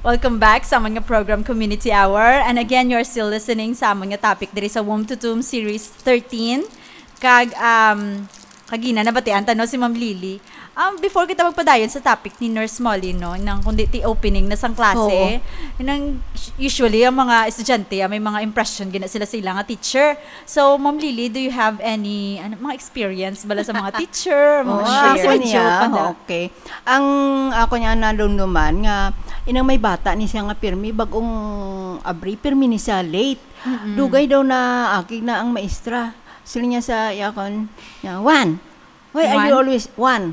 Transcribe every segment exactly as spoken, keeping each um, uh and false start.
Welcome back sa amon nga program, Community Hour. And again, you're still listening sa amon nga topic diri sa Womb to Tomb Series thirteen. Kag, um, kagina, nabatian ta, no, si Ma'am Lily. Um, before kita magpadayon sa topic ni Nurse Molly, no, nang kundi ti opening na sang klase, Oo. nang usually ang mga estudyante, ah, may mga impression gina sila sa ila nga teacher. So, Ma'am Lily, do you have any, ano, mga experience bala sa mga teacher, mga Oo, share? Ako niya, joke ka na. Okay. Ang ako niya nadumduman nga, inang may bata ni siya nga pirmi, bagong abri, pirmi ni siya late. Mm-mm. Dugay daw na akig na ang maestra. Sila niya sa yakon niya, "Juan, why are you Juan? Always Juan?"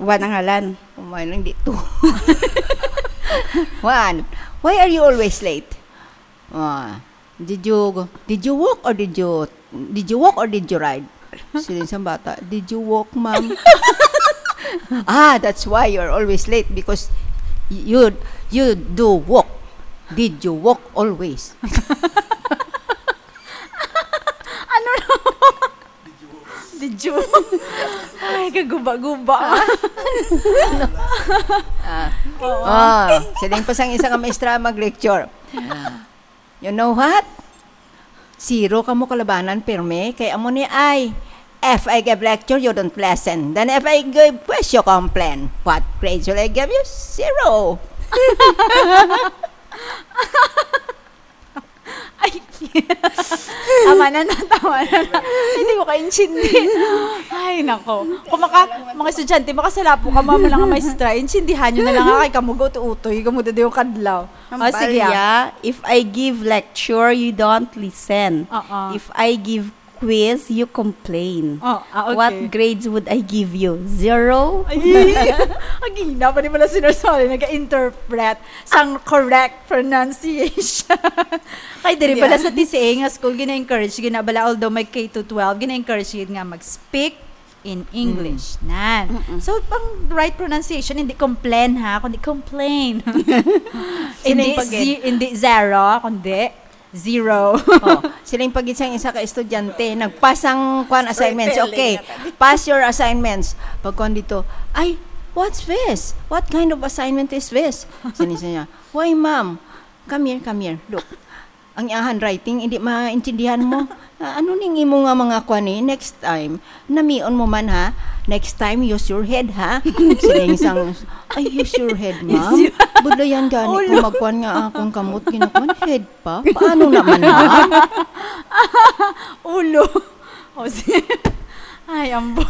Juan ang ngalan. Umay lang di to. "Juan, why are you always late?" Ah, "Did you go, did you walk or did you, did you walk or did you ride?" Sila sa bata, "Did you walk, ma'am?" "Ah, that's why you're always late because you, you do walk. Did you walk always?" Ano na? Did you? Ay, kaguba-guba. Ah. Oo. Ah, siling pa sang isa ka maestra mag-lecture. Ah. "You know what? Zero kamo kalabanan, pirmi, kay amo ni ay, if I give lecture, you don't listen. Then if I give quiz, you complain. What grades will I give you? Zero." Ay, tama na na, tama na na. Hindi ko kaintindi. Ay, nako. Kung maka, mga estudyante, makasalapo ka, mama lang ang maestra, intindihan nyo na lang, kay kamo, utoy, kamo, dito yung kadlaw. Ang Ah, sige, ah. balya, if I give lecture, you don't listen. Oo. If I give quiz, you complain. Oh, ah, okay. What grades would I give you? Zero? Ay, ang hina pa ni pala si Nurse Molly, nag-interpret sang correct pronunciation. Kay diri Hindi, pala ah. sa T C A nga school, gina-encourage, gina-, bala, although may K to twelve, gina-encourage gid nga mag-speak in English. Mm. Nan. Mm-mm. So, ang right pronunciation, hindi complain, ha, kundi complain. Siling Hindi pagid. zi-, hindi zero, kundi zero. Oh, siling pagid sang isa ka estudyante, nagpas ang kwan assignments. Storytelling Okay, na tayo. pass your assignments. Pagkuan dito, "Ay, what's this? What kind of assignment is this?" Sini sa niya, "Why, ma'am? Come here, come here. Look." Ang iyang handwriting, hindi maintindihan mo. "Ah, ano ning imo nga mga kwan eh? Next time, namion mo man, ha? Next time, use your head, ha?" Siling sang, "Ay, use your head, ma'am? Use your Budlayan gani Ulo. ko magkwan nga akong kamot, ginakwan head pa? Paano naman, ma'am?" Ulo. O, si-, ay, ambot.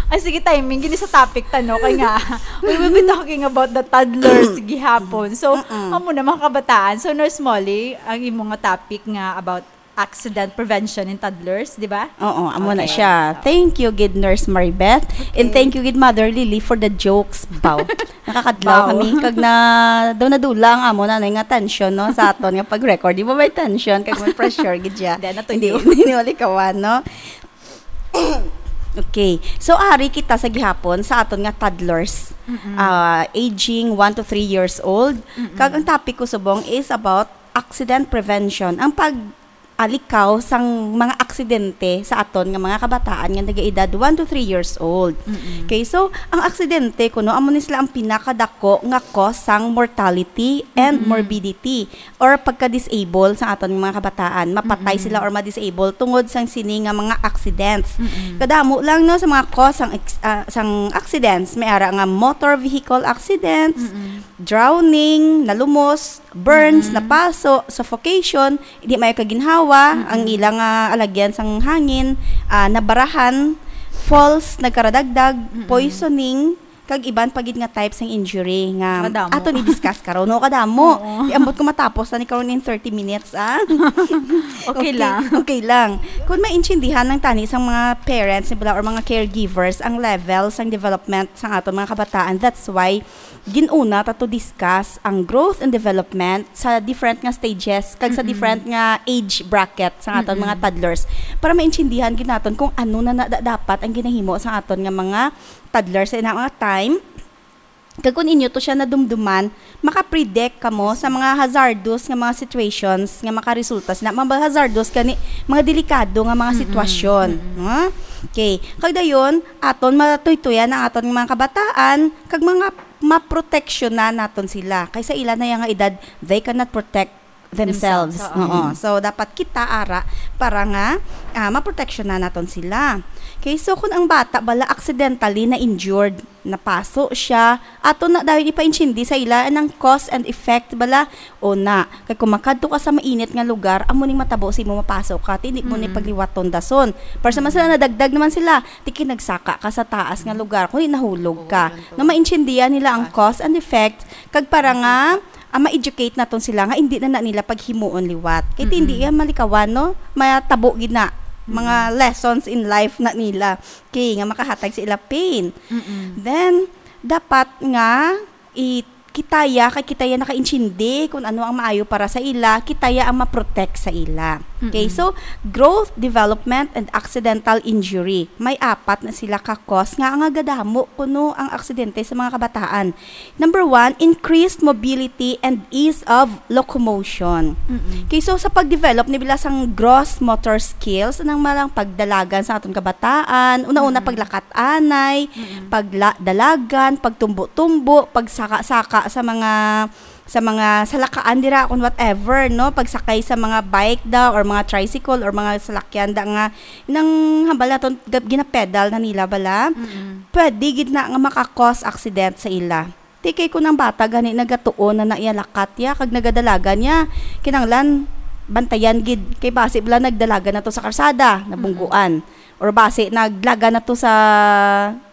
Ay, sige, timing. Gini sa topic ta, no? Kay nga, we will be talking about the toddlers gihapon. So, Mm-mm. amo na, mga kabataan. So, Nurse Molly, ang imo nga topic nga about accident prevention in toddlers, di ba? Oo, amo na Okay, siya. so Thank you, gid Nurse Maribeth. And Okay. thank you, gid Mother Lily, for the jokes. Baw. Nakakadlaw Baw. kami. Kag na, daw nadula ang amo na nga tension, no? Sa aton nga pag-record. Di ba may tension? Kag may pressure, gid siya. Hindi, natuyo. Hindi, hindi malikawan, no? Okay. So, ari kita sa gihapon sa aton nga toddlers. Mm-mm. Ah, aging one to three years old. Mm-mm. Kag ang topic ko subong is about accident prevention. Ang pag-alikaw sang mga aksidente sa aton nga mga kabataan nga nagaedad one to three years old. Mm-mm. Okay, so ang aksidente kuno amo ni sila ang pinakadako nga cause sang mortality and Mm-mm. morbidity or pagka-disable sa aton nga mga kabataan. Mapatay Mm-mm. sila or ma-disable tungod sang sini nga mga accidents. Mm-mm. Kadamo lang, no, sa mga cause sang ex-, ah, sang accidents. May ara nga motor vehicle accidents, Mm-mm. drowning, nalumos, burns, Mm-mm. napaso, suffocation, di may kaginhawa, Mm-mm. ang ilang, ah, alagyan sang hangin, ah, nabarahan, falls, nagkaradagdag, Mm-mm. poisoning, kag iban pa gid nga types ng injury nga Kadamo. aton i-discuss karon. No, kadamo. Oo. Di ambot ko matapos na ni karon in thirty minutes, ah. Okay Okay, lang. okay lang. Kung maintindihan ng tani sang mga parents, nila, or mga caregivers, ang level sang development sang aton mga kabataan, that's why ginuna ta to discuss ang growth and development sa different nga stages, kag sa Mm-mm. different nga age bracket sa aton Mm-mm. mga toddlers, para maintindihan gid naton kung ano na, na da-, dapat ang ginahimo sa aton nga mga toddlers sa ina mga time. Kag kung inyo to siya nadumduman, makapredict kamo sa mga hazardous nga mga situations nga makaresulta sina, mga hazardous gani, mga delikado nga mga Mm-mm. sitwasyon, Mm-mm. no? Okay. Kag dayon, aton matuytuyan ang aton mga kabataan kag mga maproteksyonan naton sila. Kay sa ila na yang edad, they cannot protect themselves. Themselves, oo. Oo. So, dapat kita ara para nga ah, maproteksyonan naton sila. Okay, so kung ang bata bala accidentally na injured, napaso siya, ato na dayon ipaintindi sa ila anang cause and effect bala. O na, kay kung makadto ka sa mainit nga lugar, amo ning matabo sa imo, mapaso ka, ti hindi mo ni Mm. pagliwaton dason. Pero sa man sila, nadagdag naman sila, ti kay nagsaka ka sa taas nga lugar, kundi nahulog ka. Oo, ganito. Na maintindihan nila ang cause and effect, kag para nga ah, ma-educate naton sila nga hindi na, na nila paghimuon liwat. Kay ti hindi Mm-mm. yan malikawan, no? Matabo gid na mga lessons in life na nila. Okay, nga makahatag sa ila pain. Mm-mm. Then, dapat nga i kitaya, kay kitaya nakaintindi kung ano ang maayo para sa ila, kitaya ang ma-protect sa ila. Okay, Mm-mm. so growth, development, and accidental injury. May apat na sila ka cause nga nga gadamo kuno ang aksidente sa mga kabataan. Number one, increased mobility and ease of locomotion. Mm-mm. Okay, so sa pag-develop ni bila sang gross motor skills, anang malang pagdalagan sa aton kabataan, una-una Mm. paglakat anay, Mm-mm. pagdalagan, pagtumbo-tumbo, pagsaka-saka sa mga sa mga salakaan dira kung whatever, no, pagsakay sa mga bike da or mga tricycle or mga salakyan da nga nang hambal naton gab- ginapedal na nila bala, Mm-mm. pwede gid na nga maka-cause accident sa ila. Ti kay kung ang bata gani nagatuon na na iya lakat ya kag nagadalagan niya, kinanglan bantayan gid kay basi bala nagdalagan na to sa karsada, nabungguan. Or basi naglagan na to sa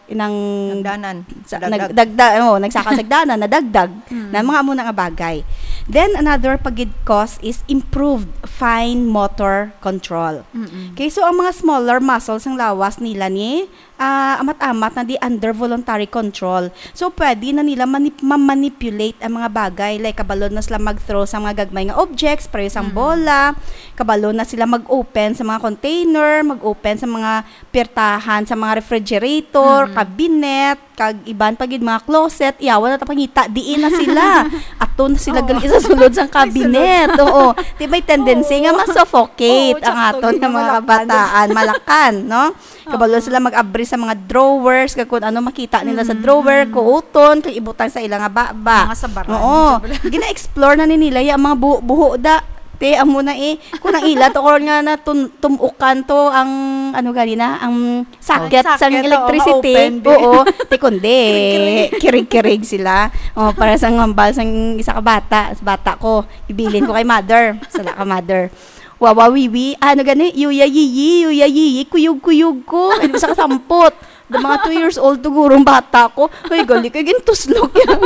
inang Hagdanan. sa, Dagdag. nagdagdag, oh, nagsaka sa hagdanan, nadagdag Mm. na mga amo na nga bagay. Then another pa gid cause is improved fine motor control. Mm-mm. Okay, so ang mga smaller muscles sang lawas nila ni ah, amat-amat na di under voluntary control. So pwede na nila manip- ma-manipulate ang mga bagay. Like kabalo na sila mag-throw sa mga gagmay nga objects, pareho sang Mm. bola, kabalo na sila mag-open sa mga container, mag-open sa mga pirtahan sa mga refrigerator, Mm. cabinet, kag iban pa gid mga closet, iyawan na ta pangita, diin na sila. Ato na sila Oo. gali sa sulod sang Ay, sulod. cabinet. Oo. Di may tendency Oo. nga ma-suffocate Oo, ang tsakto aton gid nga yung mga mga kabataan, malakan, no? Kabalo Oo. sila mag-abri sa mga drawers, kag kung ano makita nila sa Mm, drawer, mm. kuuton, kag ibutang sa ila nga baba. Mga sabaran, Oo. sabaran. Gina-explore na ni nila yung mga buho-buho da. Te, amo na eh. Kung ang ila to, kung nga na tun- tumukan to, ang, ano gani na, ang socket Ang socket, sang oo, electricity. ma-open, di. Oo, te kundi, Kirig-kirig. kirig-kirig sila. Oh, para sa ngambal sang isa ka bata, sa bata ko, ibilin ko kay mother. Sala ka, mother. Wawa wiwi, ano gani, yuya yiyi, yuya yiyi, kuyog-kuyog ko. Ay, di ba sa kasampot? The mga two years old to gurong bata ko. Ay, gali kay gintuslok yan.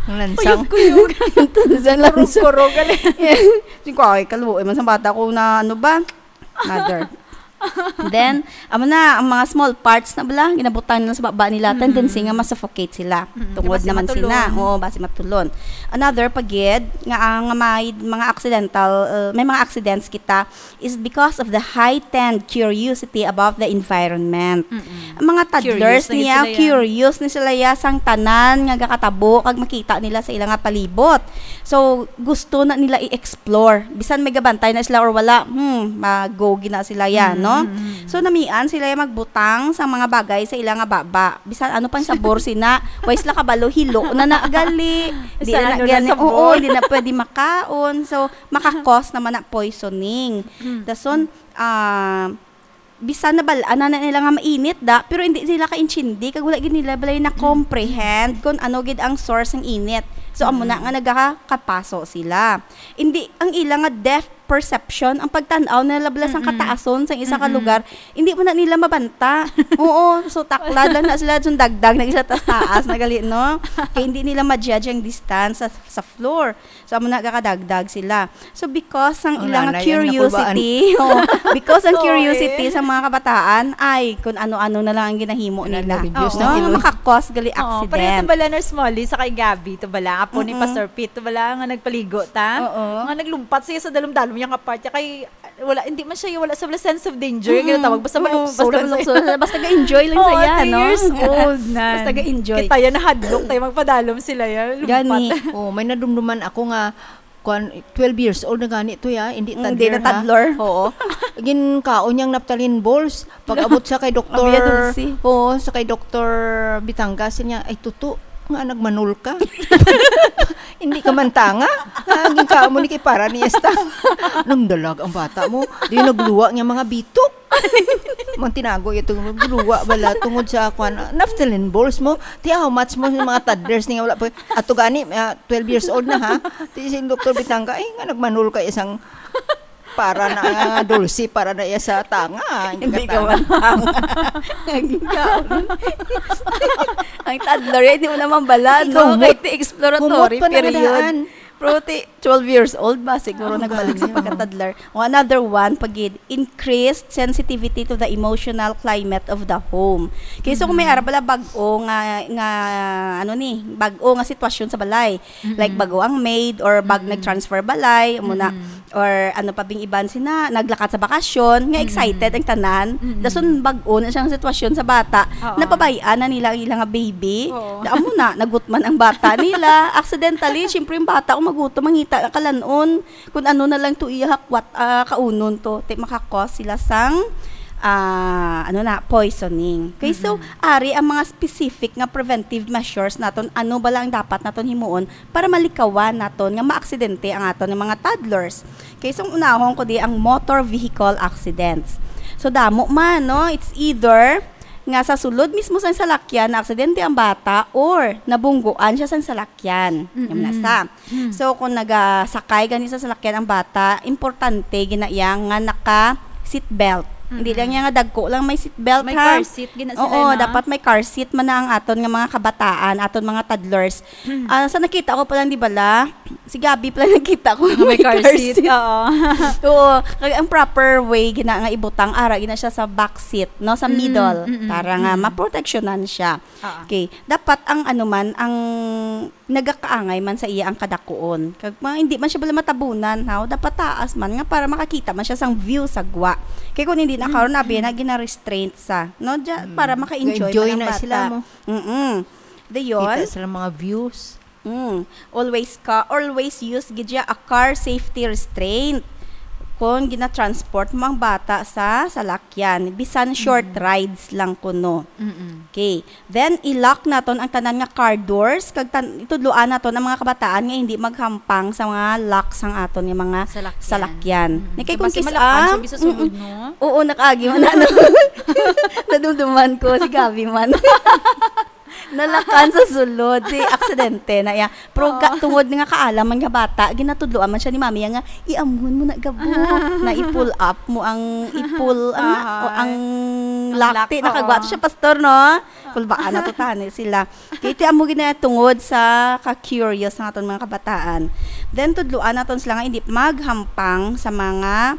Ang lansang. Kuyog-kuyog. Gintuslok lang sa Kurog-kurog, gali. Sing ko, ay, kaluoy man sa bata ko na, ano ba? Mother. Then, amo na, ang mga small parts na bala, ginabutang nila sa baba nila, Mm-mm. tendency nga ma-suffocate sila. Mm-mm. Tungod Basta naman matulon. sila. Oo, basi matulon. Another pa gid, nga ang may mga accidental, uh, may mga accidents kita, is because of the heightened curiosity about the environment. Mm-mm. Ang mga toddlers Curious na gid niya, sila, ya. Curious ni sila ya sang tanan nga gakatabo kag makita nila sa ila nga palibot. So, gusto na nila i-explore. Bisan may gabantay na sila or wala, hmm, mag-go gid na sila ya, Mm, no? mm, mm. So, namian sila ya magbutang sa mga bagay sa ila nga baba. Bisan ano pang sabor sina, way sila kabalo, hilo na na gali. Di Sa na, na ano na gani, sabor. Oo, hindi na pwede makaon. So, makakos naman na poisoning. Mm. Dason, ah, bisan na bal-an na nila nga mainit da, pero hindi sila kaintindi, kag wala gid nila balay na comprehend kung ano gid ang source ng init. So, amo na nga nagakakapaso sila. Hindi, ang ila nga depth perception, ang pagtan-aw nila bala sang Mm-mm. kataason sang isa ka Mm-mm. lugar, hindi mo na nila mabanta. Oo, so taklad lang na sila, so dagdag na isa taas-taas na gali, no? Kaya hindi nila ma-judge ang distance sa, sa floor. So, amo na gakadagdag sila. So, because ang Ang ilang nanay ang curiosity, oh, because ang Oo, curiosity eh. sa mga kabataan ay kung ano-ano na lang ang ginahimo Wala nila. na reviews Oo. na No, ilong. makakos gali Oo, pareho accident. to bala, Nurse Molly, sa kay Gabby, to bala, apo ni Mm-mm. Pastor Pete, to bala, nga nagpaligo ta. Oo. Nga naglumpat siya sa dalom-dalom niya nga part, kay wala, hindi man siya, wala sa wala sense of danger, Mm-mm. ginatawag. Basta Oo, malukso basta lang siya. malukso. Basta ga-enjoy lang Oo, siya, three no? years old na. Basta ga-enjoy. Kita yan, nahadlok tayo, magpadalom sila yan. Lumpat. Gani. Oh, may nadumduman ako nga, kwan, twelve years old na gani to ya, hindi Mm, toddler, hindi na ha? toddler. Oo. Ginkaon niyang naptalin balls. Pag-abot sa kay doktor, Ang biya dulce. Oo, sa kay doktor Bitangas niya, ay tuto. Nga nagmanol ka? Hindi ka man tanga? Nga ginkaon mo ni kay para niya sa tanga. Nang dalag ang bata mo, di nagluwa niya mga bitok. Mang tinago ito, nagluwa bala tungod sa kwan, naphthalene balls mo. Ti, how much mo yung mga toddlers niya wala pa. Ato gani, ah, twelve years old na ha. Ti si Doktor Bitanga, eh, nga nagmanol ka isang para na, ah, dulce, para na iya sa tanga. Hindi ka man tanga. Ang toddler, hindi mo naman bala, Ikaw, no? Kahit humot. Exploratory Humot pa na period. Nadaan. Pero ti, twelve years old ba? Siguro Ang nagbalik sa bata. Pagka-toddler. O, another one, pagid, increased sensitivity to the emotional climate of the home. Kaya so, kung may Mm. ara bala bag-o nga, nga, ano ni, bag-o nga sitwasyon sa balay. Mm-mm. Like, bag-o ang maid or bag Mm-mm. nag-transfer balay, amo na. Mm-mm. Or ano pa bing iban sina, naglakat sa bakasyon, nga Mm-mm. excited ang tanan. Mm-mm. Dason bag-o na siyang sitwasyon sa bata. Oo. Napabayaan na nila ang ilang baby. Oo. Da, amo na, nagutman ang bata nila. Accidentally, syempre yung bata, kung magutom, mangita na kalanon. Kung ano na lang to iya hakwat, ah, kaunon to, ti makakos sila sang, ah, ano na, poisoning. Okay, so, Mm-mm. ari ang mga specific nga preventive measures naton, ano bala ang dapat naton himuon para malikawan naton nga maaksidente ang aton nga mga toddlers. Okay, so, unahon ko di ang motor vehicle accidents. So, damo man, no? It's either nga sa sulod mismo sang salakyan, naaksidente ang bata or nabungguan siya sang salakyan. Yan na Mm-mm. sa. Mm. So, kung nagasakay gani sa salakyan ang bata, importante gina iya nga naka seatbelt. Hindi Mm-mm. lang niya nga dagko lang may seatbelt, May ha? car seat, gina sila Oo, na. Dapat may car seat man na ang aton nga mga kabataan, aton mga toddlers. Mm. Ah, sa nakita ko pa lang, di ba, la? Si Gabby pa lang nakita ko Nga may may car car seat, seat. Oo. Oo, kag ang proper way gina nga ibutang, ara gina siya sa back seat, no, sa Mm, middle, mm, mm, para nga mm. maproteksyonan siya. Oo. Okay, dapat ang ano man, ang nagakaangay man sa iya ang kadakuon. Kag mga hindi man siya bala matabunan, haw, dapat taas man nga para makakita man siya sang view sa gwa. Kay kung hindi na karon, Mm, abi mm. na gina-restraint sa, no? Diya, Mm. para maka-enjoy Enjoy man ang na bata. Sila mo. Mm-mm. Dayon, Kita sila mga views. Mm. Always ka, always use gid siya a car safety restraint. Kung gina-transport mo ang bata sa salakyan, bisan short Mm. rides lang kuno. Mm-mm. Okay. Then, i-lock naton ang tanan nga car doors, kag tan-, itudloan naton ang mga kabataan nga hindi maghampang sa mga lock sang aton nga mga Salakyan. salakyan. Mm. Ni kay Kung kung basi kis-, malakan siya ah, bisan sulod, mm-mm. no? Oo, nakaagi man na, no? Nadumduman ko, si Gabby man. Nalakan sa sulod, si aksidente na iya. Pero ga-, Oo. tungod nga kaalam man nga bata, ginatudloan man siya ni mami nga, "Iamhon mo na gabo." Na i-pull up mo ang, i-pull, ang, Aha. o ang Ang lock, lock, ti, oo. nakagwa to siya, pastor, no? Kulbaan na to tani sila. Kaya ti amo gina tungod sa ka-curious ng aton mga kabataan. Then, tudloan naton sila nga hindi maghampang sa mga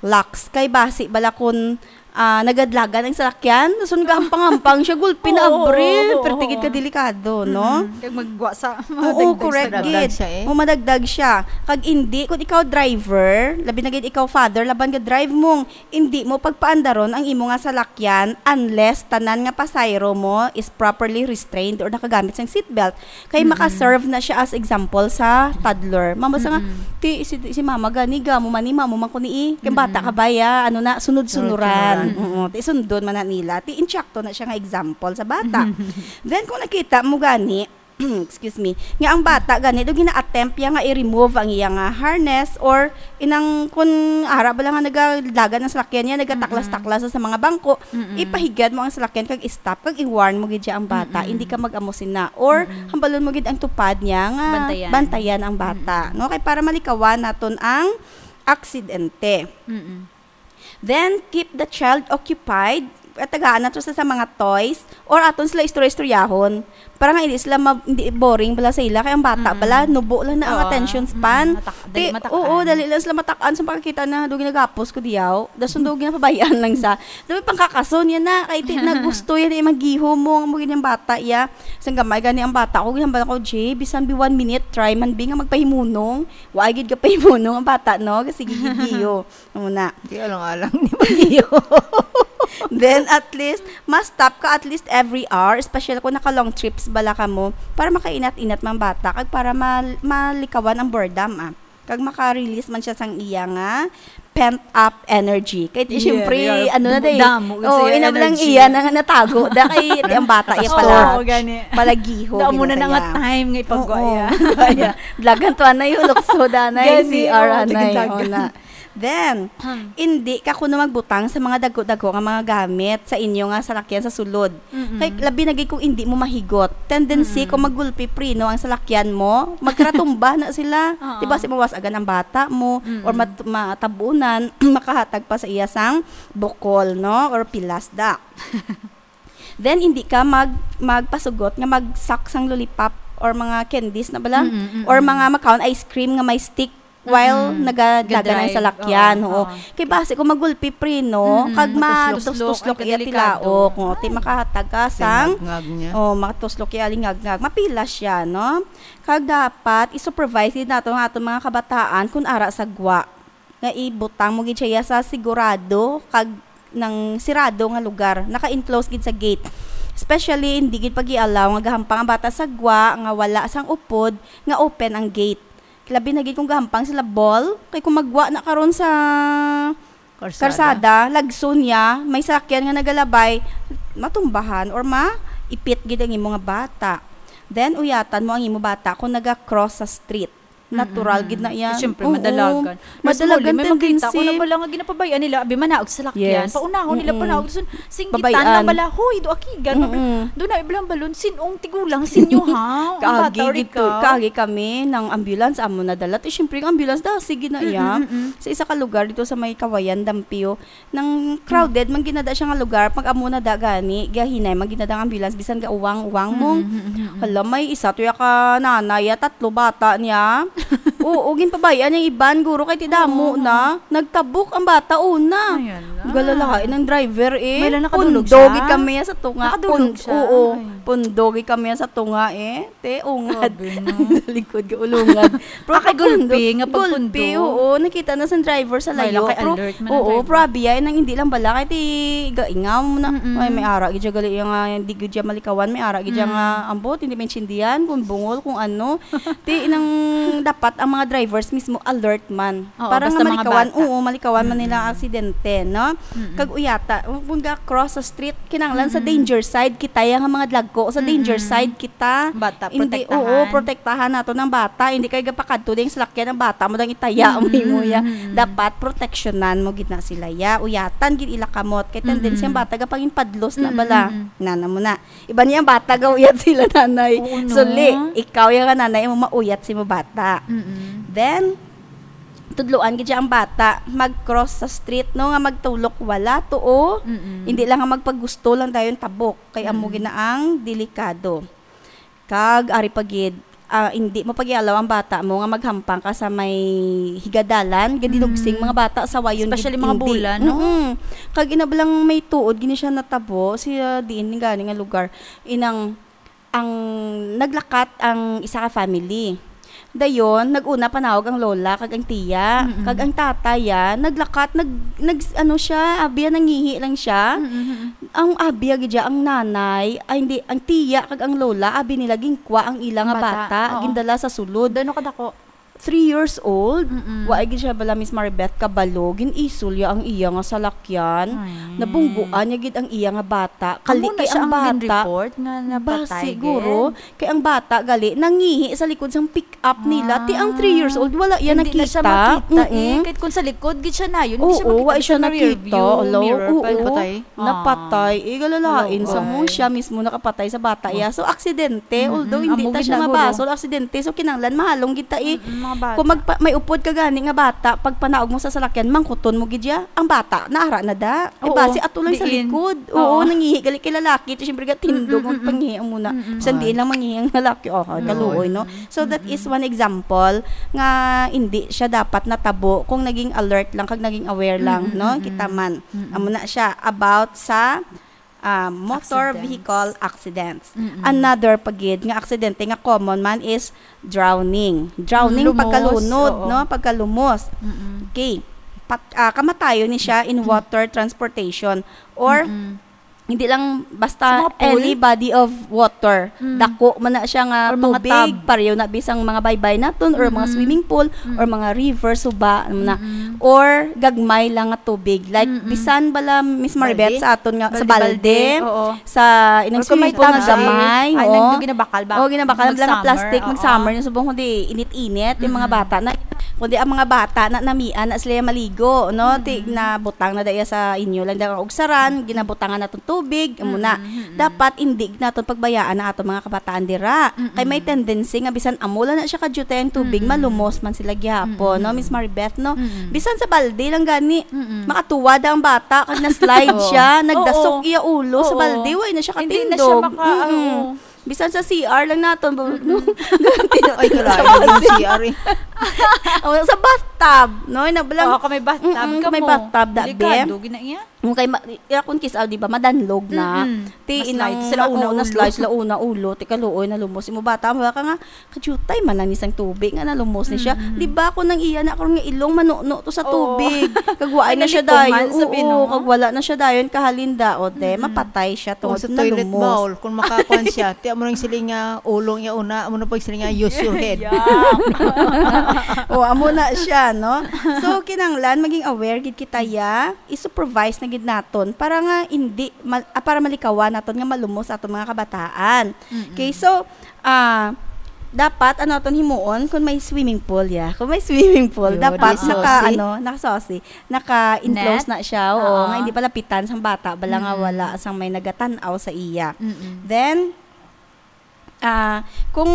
locks. Kay basi bala kun, ah, nagadlagan ang salakyan, dason gahampang-hampang siya, gulpi na Oo, abri. oo, Pero tigid oo. ka delikado, no? Mm-mm. Kag magwa sa, Oo, madagdag correct sa gid. Madagdag siya, eh. O, madagdag siya. Kag hindi, kung ikaw driver, labi na gid ikaw father, laban ga-drive mo, hindi mo pagpaandaron ang imo nga salakyan unless tanan nga pasahero mo is properly restrained or nakagamit sang seatbelt. Kay Mm-mm. maka-serve na siya as example sa toddler. Mama sa nga, Mm-mm. "Ti, si, si mama gani, gamo man ni, mamo man ko ni, eh. Kay bata Mm-mm. ka ba, ya? Ano na, sunod-sunuran." Sunod-sunuran. Oo, ti sundon man na nila. Ti, insakto na siya nga example sa bata. Then, kung nakita mo gani, excuse me, nga ang bata gani, do gina-attempt ya nga i-remove ang iya nga harness or inang kun ara ba lang nga nagadagan ang salakyan niya, nagataklas-taklas sa mga bangko, Mm-mm. ipahigad mo ang salakyan kag i-stop, kag i-warn mo gid siya ang bata, Mm-mm. hindi ka mag-amo sina. Or, Mm-mm. hambalon mo gid ang tupad niya nga Bantayan. bantayan ang bata, Mm-mm. no? Kay para malikawan naton ang aksidente. Mm-mm. Then, keep the child occupied. At tagaan nato sa, sa mga toys or aton sila istorya-istoryahon. Para nga hindi sila ma-, hindi boring bala sa ila. Kay ang bata Mm-mm. bala, nubo lang na ang Oo. attention span. Mm, matak-, dali Ti-, matakan. Oo, dali lang sila matakan. Sa pagkakita na, do ginagapos ko diyaw. Dason do ginapabayaan lang sa. Dapat pangkakason yan na. Kay ti-, na gusto yan, eh, maghihom mo, ang mga ganyang bata, iya. Sang gamay gani ang bata ko, ginambal ko, "Jay, bisan bi one minute, try man bi nga magpahimunong." Wa gid ka pahimunong ang bata, no? Kasi gigigiyo. Muna. Di alang-alang ni Mario. Then, at least, mas stop ka at least every hour, especially kung naka-long trips bala ka mo, para makainat-inat mang bata, kag para mal-, malikawan ang boredom, ah. Kag maka-release man siya sang iya nga pent up energy. Kay ti, Yeah, syempre, yeah. Ano na day? Damo gid Oh, siya ina lang energy. Iya na nga natago. Da kay ti ang bata iya Oo, pala. Gani. Palagiho. Damo Gid na na nga saya. Time nga ipagwa Oo. iya. Kaya, dlagan to anay, ulokso danay, Gani, C R oo, anay. dagdagan. Una. Then, Hmm. Hindi ka kuno magbutang sa mga dagko-dagko nga mga gamit sa inyo nga salakyan sa sulod. Mm-mm. Kay labi na gid kung hindi mo mahigot. Tendency Mm-mm. kung maggulpi preno ang salakyan mo, magkaratumba na sila. Oo. Di ba, si mawas agan ang bata mo Mm-mm. or mat- matabunan, makahatag pa sa iya sang bukol, no? Or pilas da. Then, hindi ka mag magpasugot nga mag-suck sang lollipop or mga candies na bala, Mm-mm, mm-mm. Or mga makaon ice cream nga may stick while Mm-mm. nagadlagan ang Ga-drive. salakyan. Oo, Oo. oo. Kay basi kung magulpi preno, Mm-mm. kag Matuslok-slok, matuslok-tuslok ay, iya kadelikado. tilaok, no? Ti makahatag ka sang Ngag-ngag niya. Oh, matuslok iya lingagngag. Mapila siya, no? Kag dapat i-supervise gid nato ang aton mga kabataan kung ara sa gwa nga ibutang mo gid siya sa sigurado kag nang sirado nga lugar, naka-enclose gid sa gate. Especially, hindi gid pag-i-allow nga gahampang ang bata sa gwa nga wala sang upod nga open ang gate. Labi na gid kung gahampang sila ball, kay kung magwa na karon sa Karsada. karsada, lagson niya, may sakyan nga nagalabay, matumbahan or maipit gid ang imo nga bata. Then, uyatan mo ang imo bata kung naga-cross sa street. Natural Mm-mm. gid na yan. Eh, syempre, Oo. madalagan. Mas Madalagan muli, may makita ko tendency. na bala nga ginapabayaan nila, abi, manaog sa lakyan. Yes. Paunahon nila Mm-mm. panaog. Sun, singgitan Babayaan. lang bala, "Hoy, do akigan." Mm-mm. Doon na, ibalang balon, sinong tigulang sinyo, ha? Ang Kaagi bata or gid ikaw? to, kaagi kami ng ambulance, amo na dalat. Eh, syempre, ang ambulance da, sige na iya. Mm-mm, mm-mm. Sa isa ka lugar dito sa may Kawayan, Dampio, nang crowded, man ginada siya nga lugar, pag amo na da gani, gahinay, man ginada ang ambulance, bisan ga uwang-uwang mong, Mm-mm, mm-mm, mm-mm. Hala, may isa to ya ka nanay, ya, tatlo bata niya. Oo, ginpabayaan niyang iban, guro, kay ti damo Oo. na. Nagtabok ang bata una. Ayan lang. Galalain ang driver eh. May lang nakadulog Pundo siya? gid kami sa tunga. Nakadulog Pun- siya? Oo, Ay. Pundo gid kami sa tunga eh. Te, ungad. Grabe, no? Likod ka ulungad. Pero Ah, kay gulpi pagpundo, nga pagpundo. Gulpi, oo. Nakita na sa driver sa May layo. lang kay Pero, alert man ang oo, driver. Probia, nang hindi lang bala, kay ti gaingaw mo na. Mm-mm. Ay, may ara gid siya gali nga, hindi gid siya malikawan, may ara gid siya Mm. nga, ambot, hindi maintindihan kung bungol, kung ano. Ti, nang dapat ang mga drivers mismo alert man. Oo, Para basta nga mga malikawan, bata. Oo, malikawan man nila ang Mm-mm. aksidente, no? Mm-mm. Kag uyata, kung ga-cross sa street, kinahanglan sa Mm-mm. danger side, kita yang mga dlagko, sa danger Mm-mm. side kita. Bata, Hindi, protektahan. Oo, protektahan nato ng bata. Hindi kay gapakadto ding salakyan ang bata mo dang itaya mo Mm-mm, imo ya. mm-mm. Dapat proteksyonan mo gid na sila ya. Uyatan gid ila kamot kay tendency ang Mm-mm. bata gapanginpadlos na Mm-mm, bala. mm-mm. Nana mo na. Iba niya ang bata gauyat sila nanay. Oo, no? Suli, ikaw yung nanay mo mauyat si mo bata. Mm-mm. Then, tudloan gid siya ang bata mag-cross sa street, no, nga magtulok wala to, oh. Mm-mm. Hindi lang nga magpagusto lang dayon tabok kay amo Mm-mm. gid na ang delikado. Kag ari pa gid, ah, hindi mo pag-ialaw ang bata mo nga maghampang ka sa may higadalan, gadinugsing Mm. mga bata sa wayon Especially gid mga hindi. bula, no? Mm-mm. Kag ina lang may tuod gini siya natabo, siya diin ni gani nga lugar. Inang ang naglakat ang isa ka family. Dayon, nag-una panawag ang lola kag ang tiya, Mm-mm. kag ang tatay ya, naglakat, nag, nag, ano siya, abya nangihi lang siya. Mm-mm. Ang abya gid siya, ang nanay, ay hindi, ang tiya kag ang lola, abi nila ginkwa ang ila nga Bata, bata, oo. Gindala sa sulod. Dano kadako? Three years old, Mm-mm. wa gid siya bala, Miss Maribeth, kabalo, gin-isol ya ang iya nga salakyan. Ay. Nabungguan niya gid ang iya nga bata. Kali Amo na kay siya ang ang bata. gin-report nga Ba, napatay siguro, gid. Kay ang bata gali nangihi sa likod sang pick-up nila. Ti ang three years old, wala iya Hindi na siya nakita. makita eh. Mm-mm. Kahit kung sa likod, gid siya na yun. Hindi siya Oo, makita wa sa siya rear nakita. view Hello, mirror pa, oo. Patay. Napatay. Eh, galalain Hello, sa mo ay. Siya mismo nakapatay sa bata iya. So, aksidente. Mm-mm. Although, hindi Amo ta gid siya na, mabasol, guro. Aksidente. So, kinahanglan, mahalong gid ta eh. Mm, mga bata. Kung magpa, may upod ka gani nga bata, pag panaog mo sa salakyan, mangkuton mo gid ya. Ang bata, naara na da. Eh, Oo, basi ato lang sa diin. Likod. Oo. Oo, nangihi gali kay lalaki. Ti, syempre, gatindog, Mm-mm, magpangihi muna. mm-mm. Bisan Oo. diin lang mangihi ang lalaki. Oh, Mm. kaluoy, no? So, that is one example nga hindi siya dapat natabo kung naging alert lang kag naging aware lang, Mm-mm, no? mm-mm. Kita man. Mm-mm. Amo na siya about sa ah, motor Accidents. vehicle accidents. Mm-mm. Another pa gid nga aksidente nga common man is drowning. Drowning, Mm, lumos, pagkalunod, oo. No? Pagkalumos. Mm-mm. Okay. Pat, ah, kamatayon ni siya in water transportation or Mm-mm. hindi lang basta Sa mga pool? any body of water. Mm. Dako man na siya nga Or mga tubig, tub. pareho na bisang mga baybay naton or mga Mm-mm. swimming pool or Mm. mga river, suba, ano na. Mm-mm. Or gagmay lang nga tubig. Like, Mm-mm. bisan bala, Miss Maribeth, Balde? sa aton nga, sa Balde, balde, balde, oo. sa inang Or kung may swimming pool nga tubig, gamay, ay, oo. nagdo ginabakal ba? Oo, ginabakal lang nga Mag-summer, plastic, oo. mag-summer, yung subong kundi init-init, yung mga Mm-mm. bata na, kundi ang mga bata na namian na sila maligo, no? Ti-, Mm-mm. nabutang na daya sa inyo lang, dahil ugsaran, ginabutangan naton tubig, amo na. Mm-mm, mm-mm. Dapat hindi naton pagbayaan ang aton mga kabataan dira. Mm-mm. Kay may tendency nga bisan amo lang na siya ka-duty ang tubig, Mm-mm. malumos man sila gihapon, no, Mm-mm. Miss Maribeth, no? Mm-mm. Bisan sa balde lang gani, Mm-mm. makatuwad ang bata, kag na-slide Oo. siya, nagdasok Oo. iya ulo sa Oo. balde, way na siya Hindi na siya katindog. maka-, Mm-mm. oo. Bisan sa C R lang naton, ba, Mm-mm. no? Ay, kalayo yung C R eh. Oh, sa bathtub, no? Yung nabalang, Oo, kung may bathtub mm-mm, ka kung may mo. bathtub, da, Delikado, be. gina iya. Kung kay ma-, ya, kung kisaw, di ba, madanlog na. Mm-mm. Ti, Na-slide inang, sila una oo, ulo. na-slide sila una ulo, ti kaluoy, nalumos. Imo bata, wala ka nga, "Kajutay man lang ni sang tubig nga nalumos ni siya." Mm-mm. Di ba, kung nang iya na, kung nga ilong, manuno to sa Oo. tubig. Kag wa Ay, na siya nalikuman, dayon. sabi, Oo, no? kag wala na siya dayon, kahalinda, o, te, Mm-mm. mapatay siya O, tungod sa na toilet lumos. bowl, kung makakuan siya, ti, amo nang siling nga, ulong iya una, amo na pag siling nga, "Use your head." Yeah. O, amo na siya, no? So, kinahanglan maging aware gid kita, ya, i-supervise na gid naton para nga hindi mal-, ah, para malikawan naton nga malumos aton mga kabataan. Mm-mm. Okay, so, ah, dapat ano aton himuon kung may swimming pool, ya. Kung may swimming pool, Yo, dapat di naka, susi. ano, naka-susi, naka-enclose Net? na siya, oo, Oo. nga hindi palapitan sang bata, bala nga Mm. wala sang may nagatan-aw sa iya. Mm-mm. Then, ah, kung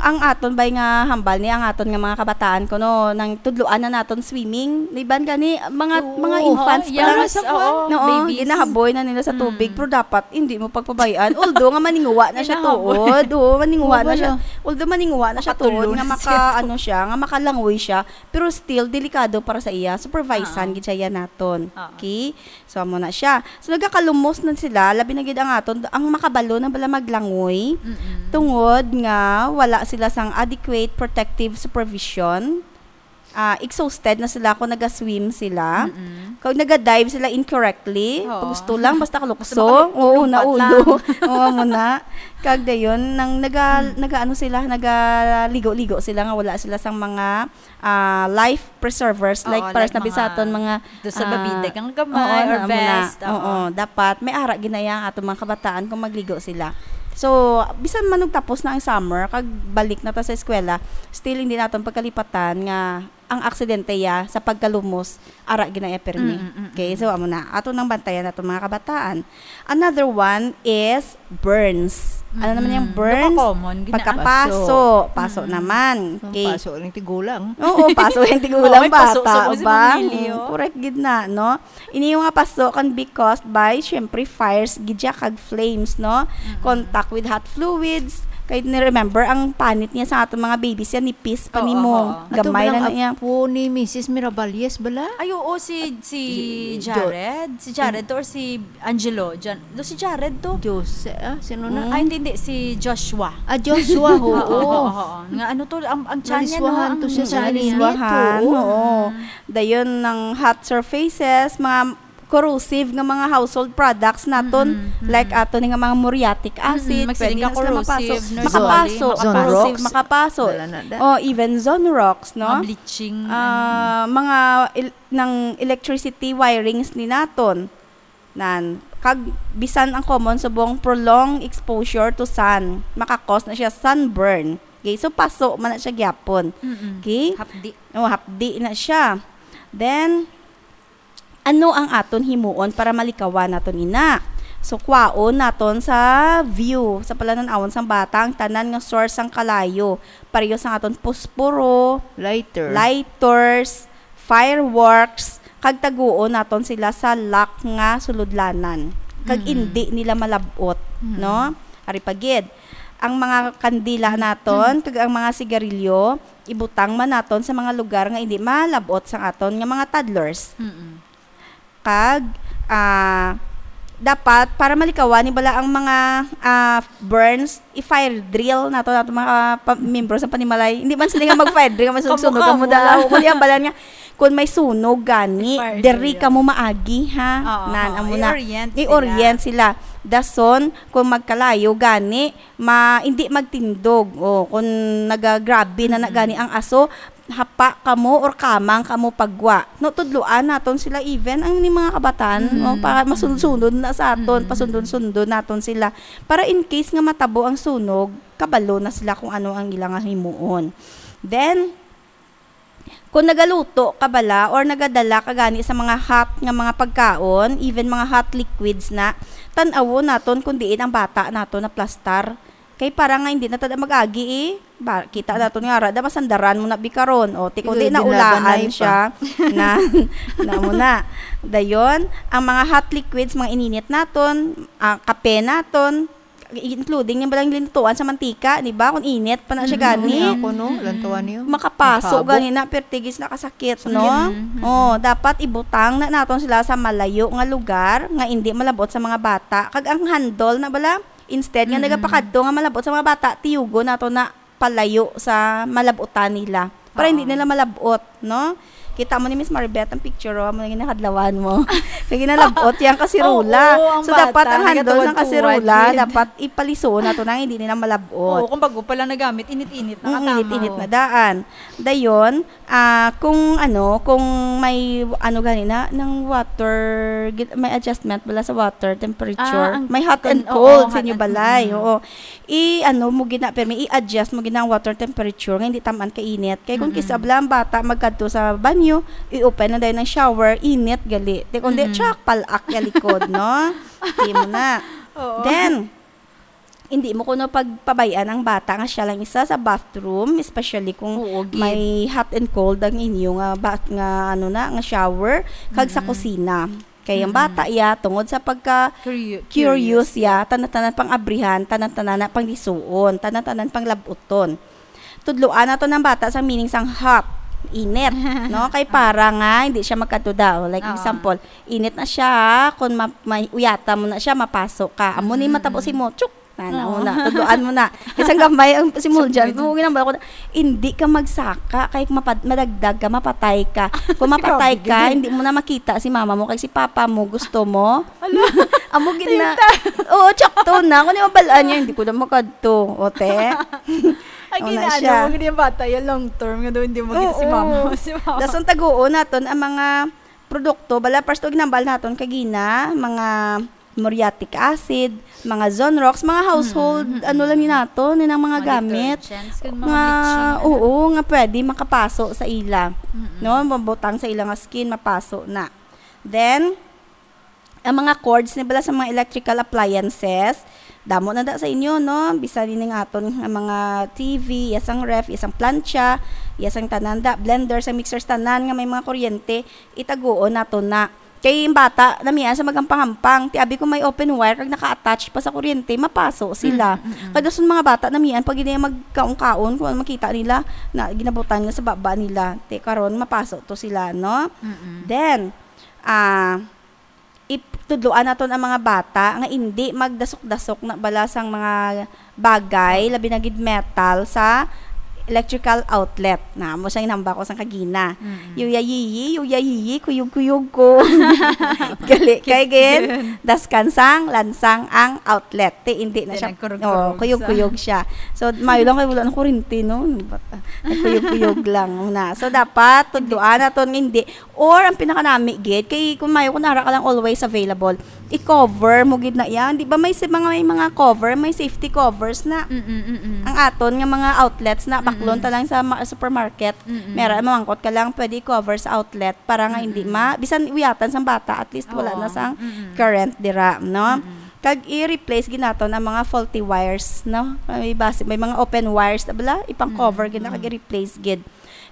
ang aton bay nga hambal ni ang aton nga mga kabataan kuno nang tudloan na naton swimming, iban gani mga, Oo. mga infants Oo, pa lang, yes, oo, oo, babies. ginahaboy na nila sa tubig, Mm. pero dapat hindi mo pagpabayaan. Although nga maninguwa na siya Ginahaboy. tuod, oo, maninguwa Oo, na siya. wala. Although maninguwa na siya tuod, Makatulon nga siya. maka-, ano siya, nga makalangoy siya, pero still delikado para sa iya. Supervisean Oo. gid siya yan naton. Oo. Okay? So, amo na siya. So, nagakalumos na sila, labi na gid ang aton, ang makabalo na bala maglangoy, Mm-mm. tungod nga wala sila sang adequate protective supervision. Ah, exhausted na sila kung naga-swim sila. Mm-mm. Kung naga-dive sila incorrectly, Oo. pag gusto lang, basta kalukso, Basta makalumpat oo, lang. naulo. Oo, amo na. Kag dayon, nang naga-, Mm. naga-ano sila, nagaligo-ligo sila nga wala sila sang mga ah, life preservers, Oo, like, para like sa mga bisaton, mga, do sa ah, babida kang gamay oo, or na, muna. vest, oo. Oo, dapat may ara ginaya ang aton mga kabataan kung magligo sila. So, bisan man og tapos na ang summer, kag balik na ta sa eskwela, still hindi naton pagkalipatan nga ang aksidente ya sa pagkalumos, ara ginaya pirmi. Mm, mm, mm, Okay, mm. so amo na. Ato nang bantayan naton mga kabataan. Another one is burns. Ano naman yung Mm-mm. burns? Nakakommon, gina- Pagkapaso. Paso. Paso Mm-mm. naman. Ang Okay. paso ng tigulang. Oo, paso yung tigulang Oo, may paso bata, sa mga ba? Simon Emilio. Mm, correct gid na, no? Ini yung mga paso can be caused by, syempre, fires, gid siya, kag flames, no? Mm-mm. Contact with hot fluids. Kay ni-remember, ang panit niya sa aton mga babies yan, nipis pa Oo, nimo. oo. Ato Gamay ba lang lang na iya. apo ni Missus Miravalles bala? Ay, oo, si, si Si Jo- Jared. Si Jared to or si Angelo? Jan-, do si Jared to? Jose, ah, sino na? Mm. Ay, hindi, hindi. Si Joshua. Ah, Joshua, oo. Oo, oo, oo, oo. Nga ano to, ang, ang tiyan niya, no? Naliswahan to Ang siya sa tiyan niya. Naliswahan, oo. Mm. Dayon ng hot surfaces, mga corrosive nga mga household products naton, Mm, mm. like ato ni nga mga muriatic Mm, acid, magsiling pwede ka na sila mapaso. corrosive, nurse Makapaso, Wally, makapaso. Zonrox. Makapaso. Wala na da. Oh, even Zonrox, no? Mga bleaching, Ah, ano. mga il-, ng electricity wirings ni naton. Nan, kag bisan ang common subong prolonged exposure to sun, makakos na siya sunburn. Okay, so paso man na siya gyapon. Mm-mm. Okay? Hapdi. Oh, hapdi na siya. Then, ano ang aton himuon para malikawan naton ina? So, kwaon naton sa view, sa palanan-awon sang bata, ang tanan nga source sang kalayo, pareho sang aton posporo, Lighter. lighters, fireworks, kag taguon naton sila sa lock nga sulodlanan, kag Mm. indi nila malab-ot, Mm. no? Ari pa gid, ang mga kandila Mm. naton, kag ang mga sigarilyo, ibutang man naton sa mga lugar nga indi malab-ot sang aton nga mga toddlers. Mm. Kag, ah, dapat, para malikawan ni bala ang mga, ah, burns, i-fire drill nato, nato mga pa-, membro sa panimalay. Hindi man sila nga mag-fire drill, nga masunog-sunog ang Kamo-kamo muda. lang. Kundi ang balan nga, kung may sunog gani, I-fire diri drill. Kamo maagi, ha? Oo, Nan, oo. Amo na. I-orient sila. I-orient sila. Dason, kung magkalayo gani, ma-, hindi magtindog. O, kung nagagrabe na, na Mm. gani ang aso, hapa kamo or kamang kamo pagwa. No, tudloan naton sila even ang ni mga kabataan, Mm. no, para masunod-sunod na sa aton, Mm. pasundon-sundon naton sila. Para in case nga matabo ang sunog, kabalo na sila kung ano ang ila nga himuon. Then, kung nagaluto ka bala or nagadala ka gani sa mga hot nga mga pagkaon, even mga hot liquids na, tan-awon naton kung diin ang bata nato naplastar. Kay para nga hindi na tada mag-agi, eh. Ba, kita naton nga, rada, masandaran mo na bikaron. O, ti, kung di Ikaw, naulaan dinlaganay pa. siya, na, na mo na. Dayon, ang mga hot liquids, mga ininit naton, ah, kape naton, including yung balang lintuan sa mantika, di ba? Kung init pa na siya Mm, gani, ako, no? Lantuan niyo. makapaso Ang habo. gani na, pertigis na kasakit, Sakit. no? Mm, mm. Oh, dapat ibutang na naton sila sa malayo nga lugar nga hindi malabot sa mga bata. Kag ang handle na bala, instead nga Mm. nagapakadto nga malabot sa mga bata, tiyugo nato na palayo sa malabutan nila. Para hindi Oo. nila malabot, no? Kita mo ni Miss Maribeth ang picture, oh, mo ginakadlawan mo. Kay ginalabot yang kasirola. Oo, ang So, dapat bata, ang handle sa nagatuwad-tuwad kasirola, yun. dapat ipalisuon nato na hindi nila malabot. Oo, kung bago pa lang nagamit, init-init na Mm, katama, init-init oh. na daan. Dayon, ah, kung ano, kung may, ano gani na, ng water, gin-, may adjustment bala sa water temperature. Ah, ang May hot and kun-, cold oo, sa hot inyo and, balay, mm. oo. I-ano mo gina, permi, i-adjust mo gina ang water temperature nga hindi tamaan ka init. Kay kung Mm-mm. kisabla ang bata magkadto sa banyo, i-open na dayon ang shower, init gali. Te, kung di, Mm-mm. tsak, palak ya likod, no? Di mo na. Oo. Then, hindi mo kuno pagpabayan ang bata nga siya lang isa sa bathroom, especially kung Oo, gid. may hot and cold ang inyo nga ba-, nga ano na, nga shower, kag sa Mm-mm. kusina. Kay ang Mm-mm. bata iya, tungod sa pagka Curio-, curious curious. iya, tanan-tanan pang abrihan, tanan-tanan na pang lisuon, tanan-tanan pang labuton. Tudloan nato ng bata sa meaning sang hot, init, no? Kay para nga hindi siya magkatuda. O, like Oo. example, init na siya, ha? Kung ma-, may uyata mo na siya, mapaso ka. Amo ni Mm-mm. matabo si mo, chuk! Nana, Oo. mo na, tudloan mo na. Kasi ang gamay ang si Muljan, Sakit. mo ginambal ko na, hindi ka magsaka, kay mapad-, madagdag ka, mapatay ka. Kung mapatay Grabe, ka, gid. hindi mo na makita si mama mo, kay si papa mo, gusto mo. Ala. Amo gid na. Tinta. Oo, tsakto na. Kung di mabalaan niya, hindi ko na makadto. O, te. Ay, Wala ginaano siya. mo, hindi yung bata, yung long term, nga daw hindi mo makita si Oo. mama, si mama. Dason taguon naton ang mga produkto, bala, first, ginambal naton kagina, mga muriatic acid, mga Zonrox, mga household, Mm, mm, ano lang mm. yun nato, yun ang mga Mga gamit. detergents, kung mga Nga, bleaching, ano. oo, nga pwede makapaso sa ila. Mm, mm. No? Mabutang sa ila nga skin, mapaso na. Then, ang mga cords ni bala sa mga electrical appliances, damo na da sa inyo, no? Bisan ini nga aton nga mga T V, yasang ref, yasang plancha, yasang tanan da, blender, sa mixers, tanan nga may mga kuryente, itaguon nato na. Kay yung bata, namian sa magampang-hampang. Ti abi kung may open wire, kag naka-attach pa sa kuryente, mapaso sila. Mm, mm, mm. Kag dason mga bata, namian pag gini magkaon-kaon, kung ano makita nila, na ginabutan nga sa baba nila. Ti karon, mapaso to sila, no? Mm, mm. Then, ah, ip-, tudloan naton ang mga bata nga hindi magdasok-dasok na bala sang mga bagay, labi na gid metal, sa electrical outlet. Na, mo siyang inamba ko sang kagina. Mm. Yuyayiyi, yuyayiyi, kuyog-kuyog ko. Gali, kay gid, Yun. daskan sang lansang ang outlet. Ti, hindi na Then siya, nagkurog-kurog oh, kuyog-kuyog sa siya. So, mayo lang kay wala na kuryente, no? Nagkuyog-kuyog lang na. So, dapat, tudloan naton nga hindi. Or, ang pinakanami gid, kay kung mayo, kung ara ka lang always available, i-cover mo gid na yan. Di ba may sa-, mga, may mga cover, may safety covers na. Mm, mm, mm. Ang aton nga mga outlets na, baklon Mm, mm. ta lang sa ma-, supermarket. Mm, mm. Mera, mamangkot ka lang, pwede i-cover sa outlet para nga hindi Mm, mm. ma-, bisan uyatan sang bata, at least wala Oo. na sang Mm, mm. current dira, no? Mm, mm. Kag i-replace gid naton ang mga faulty wires, no? May basi-, may mga open wires na bala, ipang-cover Mm, gid na, kag mm. i-replace gid.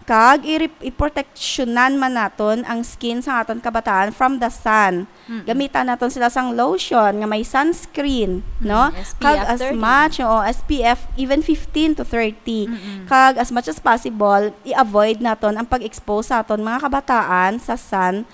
Kag i-, i-proteksyonan man naton ang skin sa aton kabataan from the sun. Mm-mm. Gamitan naton sila sang lotion nga may sunscreen, Mm, no? S P F Kag as thirty. much, oo, S P F even fifteen to thirty. Mm-mm. Kag as much as possible, i-avoid naton ang pag-expose sa aton mga kabataan sa sun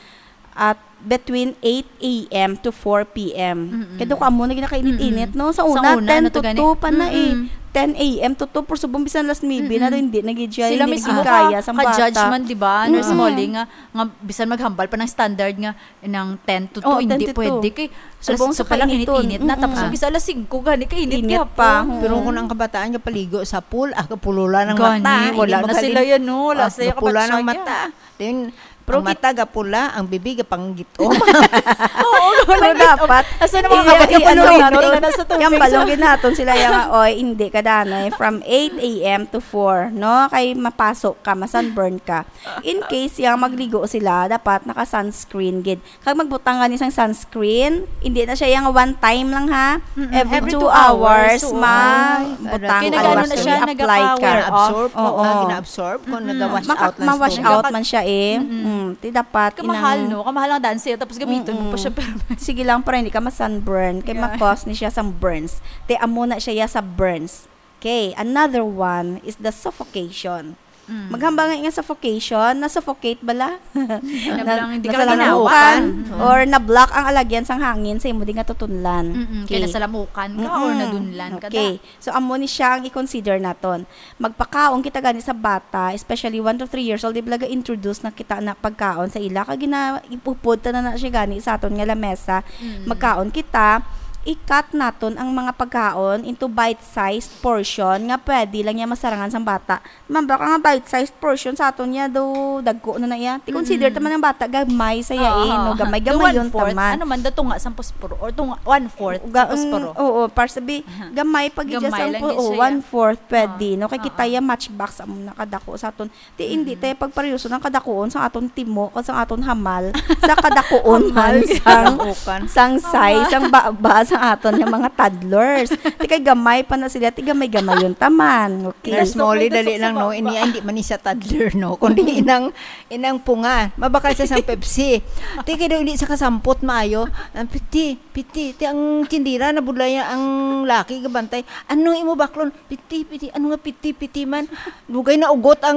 at between eight a m to four p m. Mm-mm. Kaya ko amo na ginakainit-init, Mm-mm. no? Sa Sa una, una, ten to natuga ni two pa na eh. Mm-mm. Ten a m to two, pero subong bisan alas nuebe na Mm-mm. rin, hindi na gid siya, Sila hindi na mismo gid kaya ka, sang ka-judge bata. man, di ba, Nurse Mm-mm. Molly, nga, nga bisan maghambal pa ng standard nga ng ten to two, Oh, hindi ten to two. pwede kay Subong alas sa sa pa lang kainiton. init-init na, tapos Mm-mm. yung isa alas singko, gani kainit Init gihapon. pa, oo. Pero kung ang kabataan nga paligo sa pool, ah, kapulula ng Gani, mata, wala hindi na maghalin. sila yan, no? Wala Ah, sila kapatsa yan. Then, Pero ang kit- mata gapula, ang bibig gapanggit-om. Oo, Pero wala dapat, asa na mga iya, kabataan iya, ano, Pilipino natin, nga nasa tubig, yung balong so ginaton sila yung, "Oy, hindi ka danay from eight a m to four, no? Kay mapaso ka, masunburn ka." In case yung magligo sila, dapat naka-sunscreen gid. Kag magbutang gani sang sunscreen, hindi na siya yung one time lang, ha. Mm-mm. Every Every two two hours, hours, oo. ma-, Ay, butang, kaya nag-ano always na siya, i-apply ka. nagapa-wear off. Gina-absorb, Oo. ah, gina-absorb ko, Mm-mm. nagawash Maka-, out lang mawash siya. out man siya eh. Mm-mm. Mm, ti dapat Kamahal, inang no? Kamahal ang dance, tapos gamiton mo pa Mm-mm. siya, pero Sige lang, para hindi ka ma-sunburn. Kay Yeah. ma-cause ni siya sang burns. Ti amo na siya ya sa burns. Okay, another one is the suffocation. Mm. Maghambal nga nga suffocation, na-suffocate bala? Na, Nablang, hindi ka nasalamukan, ginawa. Mm. or na-block ang alagyan sang hangin sa imo di nga tutunlan. Mm-mm, kaya Okay. nasalamukan ka or Mm-mm. nadunlan ka Okay. da. So, amo ni siya ang i-consider naton. Magpakaon kita gani sa bata, especially one to three years old, di ba, ga-introduce na kita na pagkaon sa ila, kag gina-, ipupod ta na, na siya gani sa aton nga lamesa. Mm. Magkaon kita, i-cut naton ang mga pagkaon into bite-sized portion nga pwede lang niya masarangan sang bata. Ma'am, baka nga bite-sized portion sa aton niya, do dagko na na iya. Ti consider Mm-mm. ta man ang bata, gamay sa iya Oo. eh, no? Gamay, The gamay yun one-fourth, taman. ano man, the tunga sa posporo, or tunga, one-fourth sa Ga-, mm, posporo. oo, para sabi, Aha. gamay pag iya Gamay sang lang po-, din oh, siya. one-fourth pwede, Oo. no? Kay kita Oo. iya matchbox, amo na kadako sa aton. Ti, hindi Mm-mm. tayo pagparyoso ng kadakuon sa aton timo, kag sa aton hamal, sa kadakuon Hamal man sa sang, kadakuan. sang size, Hamal. sang baba, sa aton nga mga toddlers. Ti kay gamay pa na sila, ti gamay-gamay yun taman. Okay. Nurse Molly, May dali gusto lang, sa no? baba. Ini, hindi man ni siya toddler, no? Kundi inang, inang punga. Mabakal siya sang Pepsi. Ti, kay daw hindi siya kasampot maayo. Ang piti, piti. Ti, ang tindira, nabudlaya ang laki, gabantay. "Ano imo baklon?" "Piti, piti." "Ano nga piti, piti man?" Dugay na ugot ang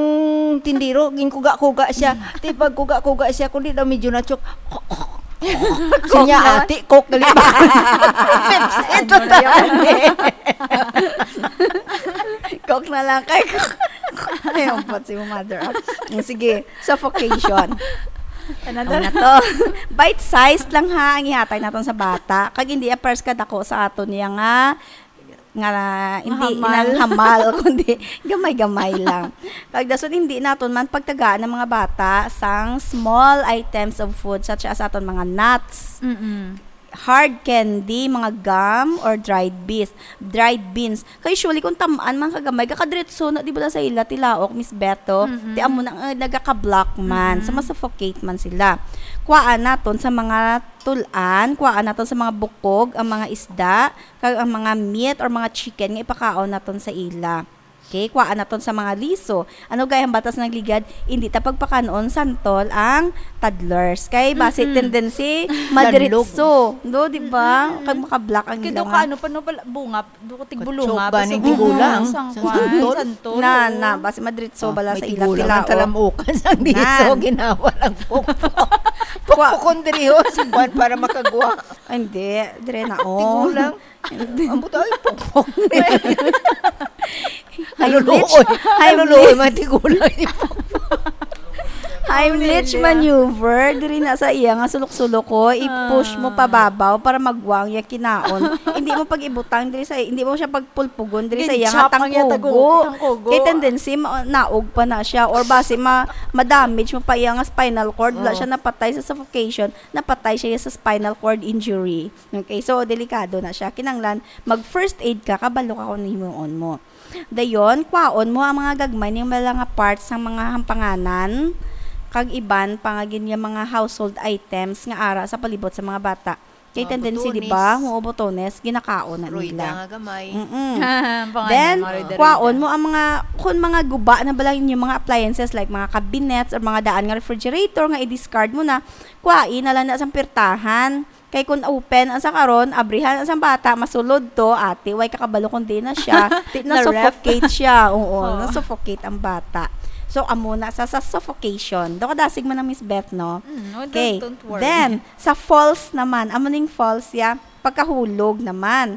tindiro. Ginkuga-kuga siya. Ti, pagkuga-kuga siya, kundi daw medyo na-choke. Siya niya, naman. "Ate, Coke, dali ba?" Pepsi, Ano totoo. yan? Coke na lang kay Coke. Ay, ampot si mo mother, ah. Mm, sige, suffocation. Ano Ano na to? Bite-sized lang, ha, ang ihatag naton sa bata. Kag hindi apers kadako sa aton niya nga, nga hindi Mahamal. inang hamal, kundi gamay-gamay lang. Kag dason hindi naton man pagtagaan ang mga bata sang small items of food such as aton mga nuts, Mm-mm. hard candy, mga gum, or dried beans. Dried beans. Kay usually, kung tam-an man kagamay, kakadiretso na, di ba, sa ila, tilaok, Miss Beto? Mm-mm. Ti amo na, eh, nagaka-block man. So, Mm-mm. masuffocate man sila. Kuhaan naton sa mga tulan, kuhaan naton sa mga bukog, ang mga isda, kag ang mga meat or mga chicken nga ipakaon naton sa ila. Okay, kuhaan naton sa mga liso. Ano gay ang batas ng ligad? Hindi ta pagpakanon santol ang toddlers. Kay basi Mm-mm. tendency Danlog. madiritso. Do, di ba? Mm-mm. Kag maka-block ang Kaya daw ilang ka, ano pa, no, pala, bunga, do ko tigbulunga, Kutsoba basta ning bunga, tigulang. sang Sa kwan, santol? santol, Na, oo. na, basi madiritso Oh, bala may sa ila tigulang ang tilaok. talamukan sang liso, Nan. ginawa lang pokpok. Kwa- Pokpokon diri, oh, sa kwan para makagwa. Ay, hindi. Dire na, oh. Tigulang. Ang buto ay pokpok. Heimlich. Naluluoy. Heimlich. Naluluoy, mga tigulang. Heimlich Heimlich. maneuver. Diri na sa iya nga sulok-sulok ko. I-push mo Ah. pababaw para magwang ya kinaon. Hindi mo pag-ibutang diri sa, hindi mo siya pagpulpugon diri sa iya nga Gin-chop ang iya tangkugo. tagu-, tangkugo. Kay tendency, ma-, naog pa na siya. Or basi ma-, ma-damage mo pa iya nga spinal cord. Wala Oh. siya napatay sa suffocation. Napatay siya sa spinal cord injury. Okay, so delikado na siya. Kinanglan, mag first aid ka, kabalo ka kung himuon mo. Dayon, kwaon mo ang mga gagmay ning mga parts sang mga hampanganan, kag iban pa nga gin-, nga mga household items nga ara sa palibot sa mga bata. Kay Mga tendency, di ba? botones. Oo, botones, ginakaon na Royda nila. nga gamay. Mm-mm. Pangalan, Then, mga Royda, kwaon Royda. mo ang mga, kung mga guba na bala inyong mga appliances like mga cabinets or mga daan nga refrigerator nga i-discard mo na, kwain na lang na sa pirtahan. Kay kung open ang sa karon, abrihan ang sa bata, masulod to, ate, way kakabalo kung di na siya. Di, Na-ref. na-suffocate siya. Oo, Oo. na-suffocate ang bata. So, amo na sa, sa suffocation. Daw kadasig man ang Miss Beth, no? Mm, no, don't, Okay. Don't worry. Then, sa falls naman, amo ning falls ya, pagkahulog naman.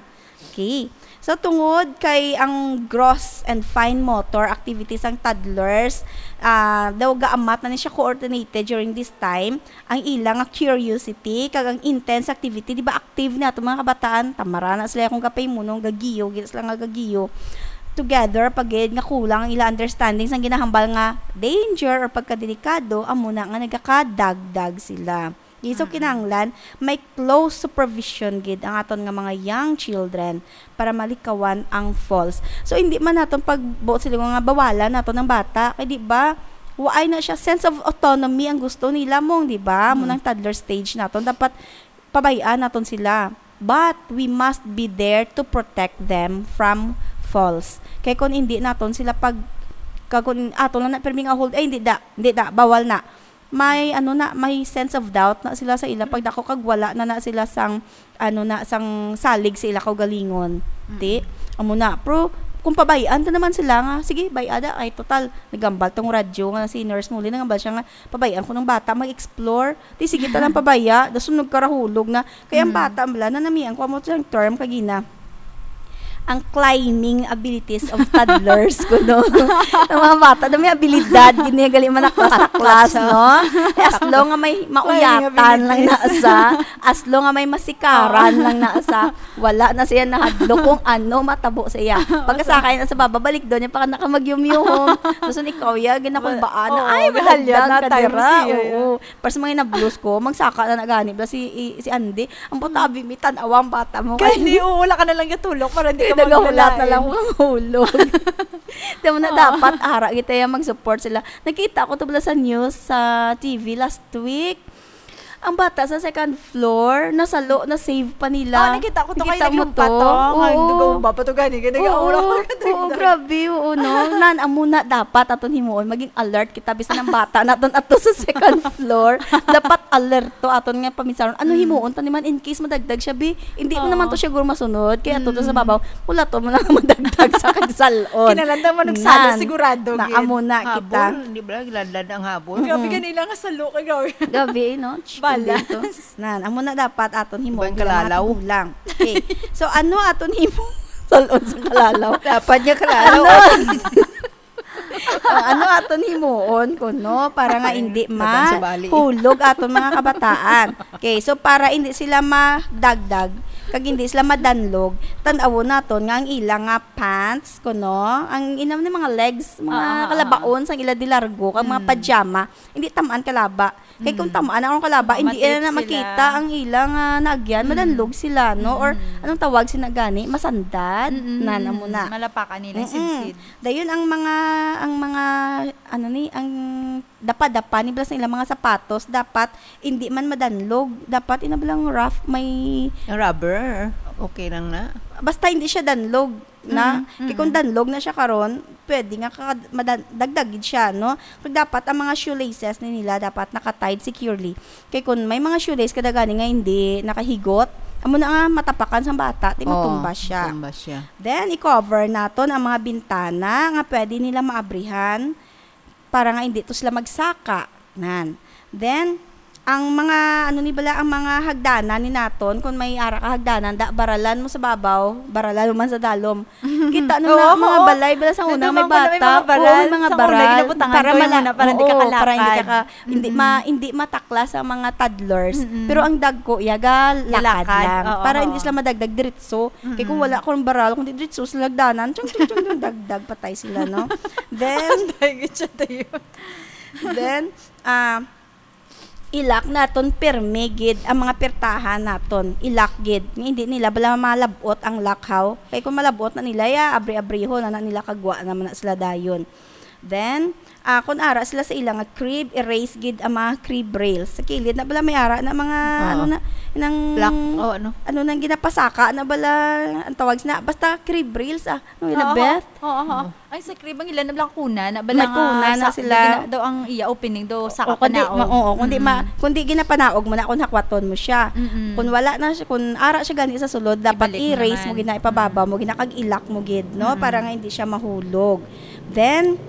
Okay. So, tungod kay ang gross and fine motor activities sang toddlers, ah, daw gaamat na ni siya coordinated during this time, ang ila nga curiosity kag ang intense activity, di ba, active ni ato mga kabataan, tamara na sila kung kapahimunon, gagiyo, gid sila nga gagiyo. Together, pagid nga kulang ang ila understanding sang ginahambal nga danger or pagkadelikado, amo na nga nagakadagdag sila. Okay, so, kinahanglan may close supervision gid ang aton nga mga young children para malikawan ang falls. So, hindi man naton pagbuot sila nga bawalan naton ang bata, kay, di ba, waay na siya, sense of autonomy ang gusto nila, mong, di ba? Mo nang toddler stage naton, dapat pabay-an naton sila. But we must be there to protect them from falls. Kay kung hindi naton sila pag, kag kung ato lang na pirmi nga hold, "Ay, hindi da, hindi da, bawal na." May, ano na, may sense of doubt na sila sa ila pagdako, kag wala na na sila sang, ano na, sang salig sa ila kaugalingon. Ti, amo na. Pero kung pabay-an ta naman sila nga, "Sige, bay-a da, ay, total, nagambal tong radyo nga si Nurse Molly, nagambal siya nga pabay-an ko ng bata mag-explore." Ti, sige ta lang pabaya, dason nagkarahulog na. Kaya ang bata, bala, nanamian ko amo siyang term kagina, ang climbing abilities of toddlers, kuno. Ang mga bata na may abilidad, gini gali man na class, na class, no? Eh, as long nga may mauyatan lang na sa, as long nga may masikaran lang na sa, wala na siya nahadlok kung ano matabo sa iya. Pagkasakay na sa baba, balik doon niya, pa ka naka magyumyuhong. Tapos ikaw, ya, ginakulbaan na, Oo, "Ay, may halyat madagdag na ka time dira." siya, ya. Oo. Pero sa mga nablos ko, magsaka na nagani, bala si, i- si Andy, ang putabi, may tanawa ang bata mo. Kaya hindi, oo, wala ka na lang gatulog para hindi Kaya ka nagahulat na maglalain. lang ang hulog. Di mo na dapat, ara kita yung mag-support sila. Nakita ko to pala sa news, sa T V last week. Ang bata sa second floor, nasalo, na-save pa nila. Oh, nakita ko to, kay Nakita mo naglumpa to, nga Oo. nagawba pa to gani, kaya Oo, nag-aura oo, grabe, oo, no? Nan, amo na dapat aton himuon, maging alert kita, bisan ang bata naton ato sa second floor, dapat alerto aton nga paminsaron. Ano himuon ta ni man in case madagdag siya, bi? Hindi mo naman to siguro masunod, kaya ato to sa babaw, wala to mo lang madagdag sa kagsalon. Kinalanda mo nagsalo, Nan, sigurado, na gid. Amo na kita. Habol, di ba? Giladlad ang habol. Grabe, ganila nga salo ka gawin. Gabi, no? Ch-, Bala. kundi to. Nan, amo na dapat aton himuon Ibang bilang mga kalalaw. tigulang. Okay. So, ano aton himuon? Salon sa kalalaw. Dapat niya kalalaw. Ano? O, ano aton himuon kuno para nga hindi Laban sa bali. mahulog aton mga kabataan? Okay, so para hindi sila madagdag, kag hindi sila madanlog, tan-awon naton nga ang ila nga pants kuno, ang inam ni mga legs, mga Ah, ah, ah. kalabaon sang ila di largo, kag mga pajama, hindi tamaan kalaba. Kay kung tamaan ang kalaba, hindi Mamatip na sila. Makita ang ila nga naagyan, madanlog sila, no? Or anong tawag sina gani? Masandad? Mm-mm. Nan, amo na. Malapakan nila, Mm-mm. sidsid. Dayon ang mga, ang mga, ano ni, ang dapa-dapa ni bala sa ilang mga sapatos, dapat hindi man madanlog. Dapat ina balang rough, may Ang rubber, okay lang na. basta hindi siya danlog na. Mm, Kay kung danlog na siya karon, pwede nga ka, madan, dagdag gid siya, no? Kag dapat ang mga shoelaces ni nila dapat naka-tied securely. Kay kung may mga shoelace kada gani nga hindi nakahigot, amo na nga matapakan sang bata, ti Oo, matumba siya. Matumba siya. Then, i-cover naton ang mga bintana nga pwede nila maabrihan para nga hindi to sila magsaka. Nan. Then, ang mga, ano ni bala, ang mga hagdanan ni naton, kung may ara ka hagdanan, da, baralan mo sa babaw, baralan mo man sa dalom. Kita no Oo, na, mga oo. balay, bala sa una, Nandun may man ko na may bata, mga baral. oo, may mga Sa una, baral, ginabutangan para ko yung mala-, una, para hindi oo, ka para hindi ka, kalakad. ka, hindi, ma, hindi mataklas ang mga toddlers. Mm-mm. Pero ang dagko, yaga, lakad Lalakad, lang. oo, Para oo. Hindi sila madagdag diretso. Kay kung Mm-mm. wala kong baral, kung di diretso sila hagdanan, chung, chung, chung, chung, dagdag, patay sila, no? Then, Dahil siya tayo. then, ah, ilak naton pirmi gid ang mga pirtahan naton. Ilak gid. Nga hindi nila bala malab-ot ang lakhaw. Kay kung malab-ot na nila, ya, abri-abriho na, na nila kagwa naman na sila dayon. Then, ah, kung ara sila sa ilang crib, erase gid ang mga crib rails. Sa kilid na bala may ara na mga, Oo. ano na, nang, Black, oh, ano? ano nang ginapasaka na bala, ang tawag na, basta crib rails, ah. Ano yun, Oo, Beth? Oo, oo. Ay, sa crib, ang ilan na lang kuna, na bala May kuna na sila. Daw ang iya opening, daw saka O, kundi, panaog. ma-, oo, kundi, ma, Mm. kundi ginapanaog mo na kung hakwaton mo siya. Mm-mm. Kung wala na siya, kung ara siya gani sa sulod, dapat Ibalik i-raise naman. mo gid na, ipababa Mm. mo gid na, kag ilak mo gid, no? Mm-mm. Para nga hindi siya mahulog. Then,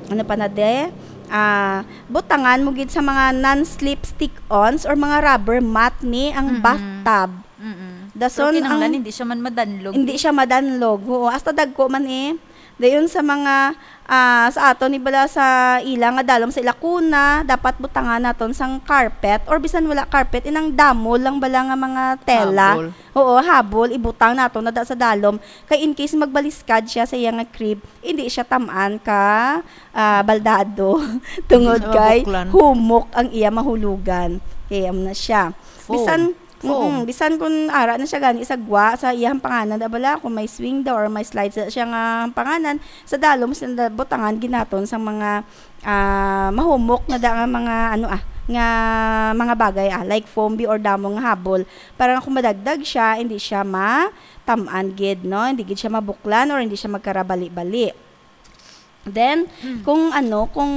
Ano pa na de? Ah, butangan mo gid sa mga non-slip stick-ons or mga rubber mat ni ang Mm-mm. bathtub. Mm-mm. Dason Pero kinahanglan ang hindi siya man madanlog. Hindi siya madanlog. Oo, hasta dagko man eh. Dayon sa mga, ah, sa aton ni bala sa ila nga dalom sa ila kuna, dapat butangan naton sang carpet or bisan wala carpet, inang damo lang bala nga mga tela. Habol. Oo, habol, ibutang naton na da sa dalom. Kay in case magbaliskad siya sa iya nga crib, hindi siya tam-an ka, ah, baldado tungod Hindi siya kay mabuklan. humok ang iya mahulugan. Kaya mo na siya. Foam. Bisan, Foam. mm, bisan kung ara na siya gani sa gwa, sa iyang panganan, da bala, kung may swing daw or may slides na siya nga panganan, sa dalom, sa da-, butangan ginaton sa mga, ah, mahumok na da nga mga, ano, ah, nga mga bagay, ah, like foam bi or damo nga habol, para nga kung madagdag siya, hindi siya ma-, tam-an gid, no? Hindi gid siya mabuklan or hindi siya magkarabali-bali. Then, Mm. kung ano, kung,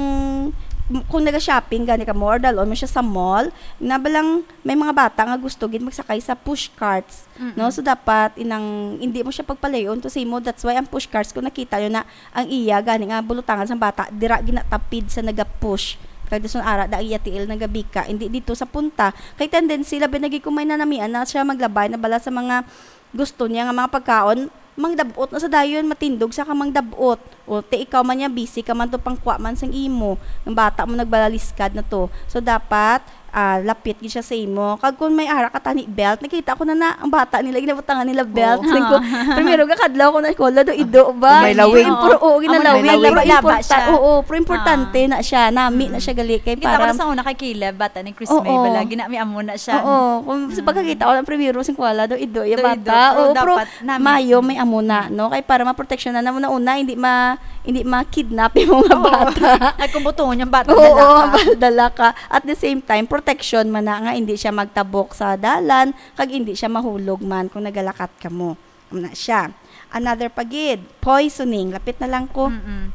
kung naga-shopping gani ka mo or dalon mo siya sa mall, na balang may mga bata nga gusto gid magsakay sa push carts, Mm-mm. no? So, dapat inang, hindi mo siya pagpalayon to sa imo. That's why ang push carts, kung nakita nyo na ang iya, gani nga bulutangan sang bata, dira ginatapid sa naga-push. Kag dason ara da ang iya tiil nagabika, hindi dito sa punta. Kay tendency, labi na gid kung may nanamian na siya maglabay na bala sa mga gusto niya nga mga pagkaon, mangdabot na sa dayon, matindog sa ka mangdabot. O, te, ikaw man niya, busy ka man to, pangkwa man sang imo. Ang bata mo, nagbalaliskad na to. So, dapat, ah, lapit gid siya sa imo. Kag kung may ara ka tani belt, nakita ko na na, ang bata nila, ginabutangan nila belt. Oo. Sabi ko, primero, kakadlaw ko na, "Kola, do, ido ba?" May lawig. Impor-, oo, Amo na, ginalawig. may lawig. Pero Laba-laba importa-, siya. oo, pero importante Ah. na siya. Nami na Mm. siya gali kay Kita ko parang na sa una kay Caleb, bata ni Chris Oo. May, bala, ginami amo na siya. Oo, kung sa Mm. pagkakita ko ng primero, sing kwala daw, ido, iya Do, ido. bata. Pero Oo, pero dapat nami. mayo may amo na, no? Kay para maproteksyonan na mo na una, hindi ma-, hindi ma-kidnap yung mga Oo. bata. Ay, kung butongon yung bata, Oo, dala ka. bal-, dala ka. At the same time, protection man na nga, hindi siya magtabok sa dalan, kag hindi siya mahulog man kung nagalakat ka mo. Amo na siya. Another pa gid, poisoning. Lapit na lang ko. Mm-mm.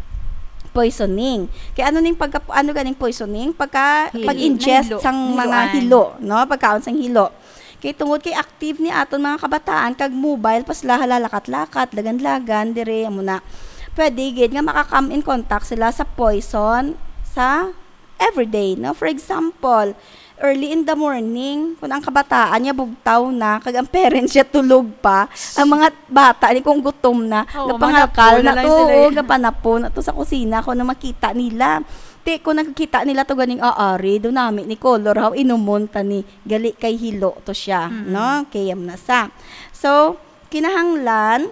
Poisoning. Kay ano ning pagka-, ano ganing poisoning? Pagka, Hil-, pag-ingest nahilo-, sang mga nahiloan. hilo, no? Pagkaon sang hilo. Kay tungod kay active ni aton mga kabataan, kag mobile pa sila, halalakat-lakat, lagan-lagan, dire, amo na. Pwede gid nga maka-come in contact sila sa poison sa everyday, no? For example, early in the morning, kung ang kabataan niya bugtaw na, kag ang parents niya tulog pa, ang mga bata ni kung gutom na, Oo, gapangalkal manapo na na lang to, sila, oo, eh. gapanapo na to sa kusina kung ano makita nila. Ti, kung nakikita nila to ganing aari, do nami ni color, how inumon ta ni, gali kay hilo to siya, Mm. no? Kay yam na sa. So, kinahanglan,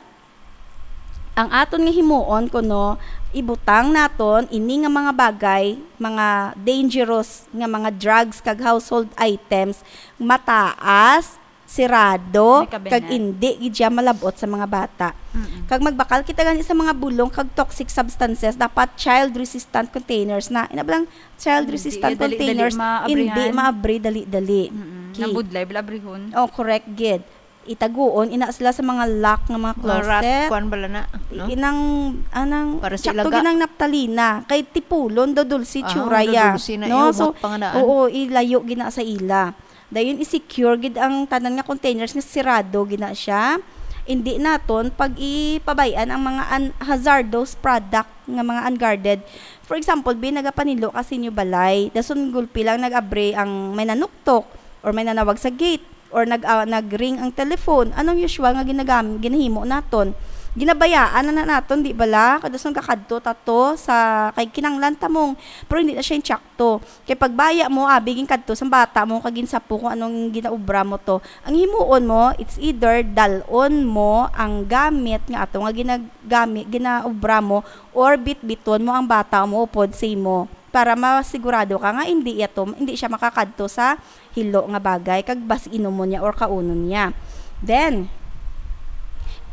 ang aton nga himuon kuno, ibutang naton ini nga mga bagay, mga dangerous nga mga drugs kag household items, mataas, sirado, May kabinet. kag indi gid siya malab-ot sa mga bata. Mm-mm. Kag magbakal kita gani sa mga bulong kag toxic substances, dapat child-resistant containers na. Ina ba lang, child-resistant Hindi, dali-dali containers, maabrihan. hindi maabri dali-dali. Mm-mm. Okay. Nabudlay, bala abrihon. Oh, correct gid. Itaguon ina sila sa mga lock nga mga Mga rat, closet. kuwan bala na, no? Inang, anang, Para sa tsakto ilaga. ginang naptalina. Kay tipulon daw dulce Ah, tsura ya. dulce na, No? iuwat So, pa nga daan. oo, ilayo gina sa ila. Dayon, i-secure gid ang tanan nga containers nga sirado gina siya. Hindi naton pag ipabay-an ang mga un-, hazardous product nga mga unguarded. For example, bi, nagapanilo ka sa inyo balay. Dason gulpi lang nag-abri ang may nanuktok or may nanawag sa gate. Or nag, ah, nag-ring ang telephone. Anong usual nga ginagam-, ginahimo naton? Ginabayaan na, na naton, di bala? Kadason kakadto tato sa kay kinanglan tamong, pero hindi na siya yung tsakto. Kay pagbaya mo, abi, ginkadto sa bata mo, kag ginsapo kung anong ginaubra mo to. Ang himuon mo, it's either dalon mo ang gamit nga ato nga ginagamit, ginaubra mo, or bitbiton mo ang bata mo upod sa imo para masigurado ka nga hindi iya to, hindi siya makakadto sa hilo nga bagay kag basi inumon niya or kaunon niya. Then,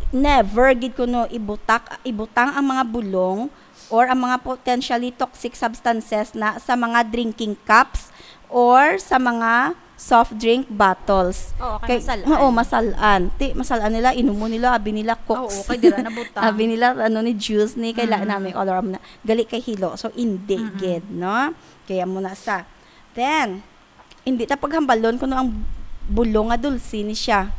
never gid kuno ibutak, ibutang ang mga bulong or ang mga potentially toxic substances na sa mga drinking cups or sa mga soft drink bottles. Oo, kay Kay, masal-an. oo, masal-an. Ti, masal-an nila, inumon nila, abi nila, Ah, Cokes. oo, kay dira na butang. Abi nila, ano, ni juice ni, kay la-, Mm. nami, color mo na. Gali kay hilo. So, hindi Mm-mm. gid, no? Kaya mo na sa. Then, hindi ta paghambalon kuno ang bulong nga dulce ni siya.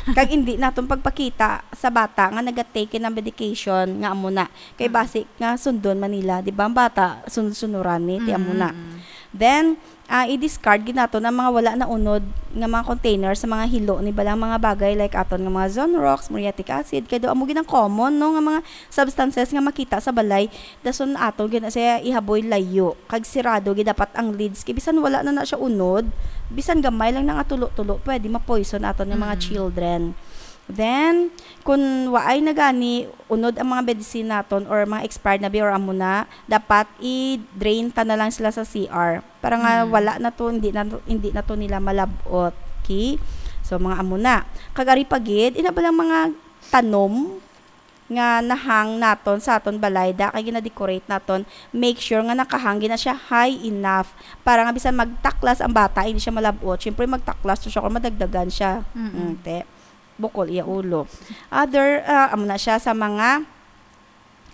Kag hindi naton pagpakita sa bata nga naga-take ng medication nga amo na. Kay Mm. basi nga sundon man nila, di ba? Ang bata, sunod-sunuran ni, ti amo na. Mm, mm. Then, ah, i-discard gid naton ang mga wala na unod nga mga container sa mga hilo ni balang mga bagay like aton nga mga Zonrox, muriatic acid, kay daw amo gid ang common, no, nga mga substances nga makita sa balay. Dason aton gid na siya ihaboy layo, kag sirado gid dapat ang lids, kay bisan wala na na siya unod, bisan gamay lang na nga tulo-tulo, pwede ma-poison aton nga mga Mm. children. Then, kung waay na gani unod ang mga medicine naton or mga expired na bi or amo na, dapat i-drain ta na lang sila sa C R. Para nga Mm. wala na to, hindi na to, hindi na to nila malabot. Okay? So, mga amo na. Kag ari pa gid, ina ba lang mga tanom nga nahang naton sa aton balay, da, kay gina-decorate naton, make sure nga nakahang gid na siya high enough para nga bisan magtaklas ang bata, hindi siya malabot. Siyempre, magtaklas to siya kung madagdagan siya. Mm-mm. Mm, te. Bukol iya ulo. Other, ah, amo na siya sa mga,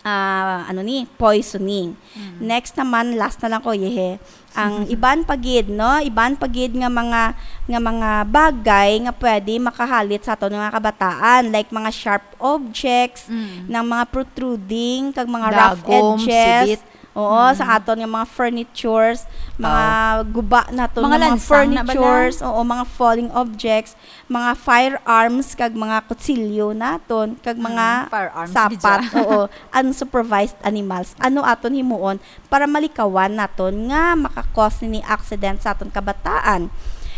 ah, ano ni, poisoning. Mm. Next naman, last na lang ko, yehe. Ang iban pa gid, no? Iban pa gid nga mga, nga mga bagay nga pwede makahalit sa aton nga kabataan, like mga sharp objects, Mm. ng mga protruding, kag mga rough Dagom, edges. sibit. Oo, Mm. sa aton nga mga furnitures, mga Oo. guba naton Mga nga mga lansang na ba na? furnitures, oo, mga falling objects, mga firearms, kag mga kutsilyo naton, kag mga Mm, firearms, sapat, gid siya. oo, unsupervised animals. Ano aton himuon para malikawan naton nga makakos nini accident sa aton kabataan?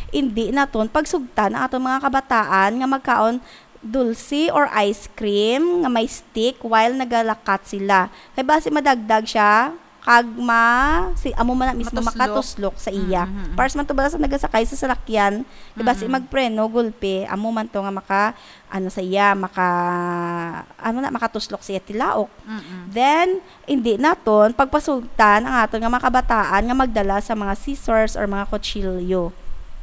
Indi naton pagsugtan ang aton mga kabataan nga magkaon dulce or ice cream nga may stick while nagalakat sila. Kay basi madagdag siya, kag ma-, si, amo man na mismo Matuslok. makatuslok sa iya. Mm, mm, mm. Pares man to bala sa nagasakay sa salakyan, kay basi Mm, mm. magpreno, gulpi, amo man to nga maka, ano sa iya, maka, ano na, makatuslok sa iya tilaok. Mm, mm. Then, hindi naton pagpasugtan ang aton nga mga kabataan nga magdala sa mga scissors or mga kutsilyo.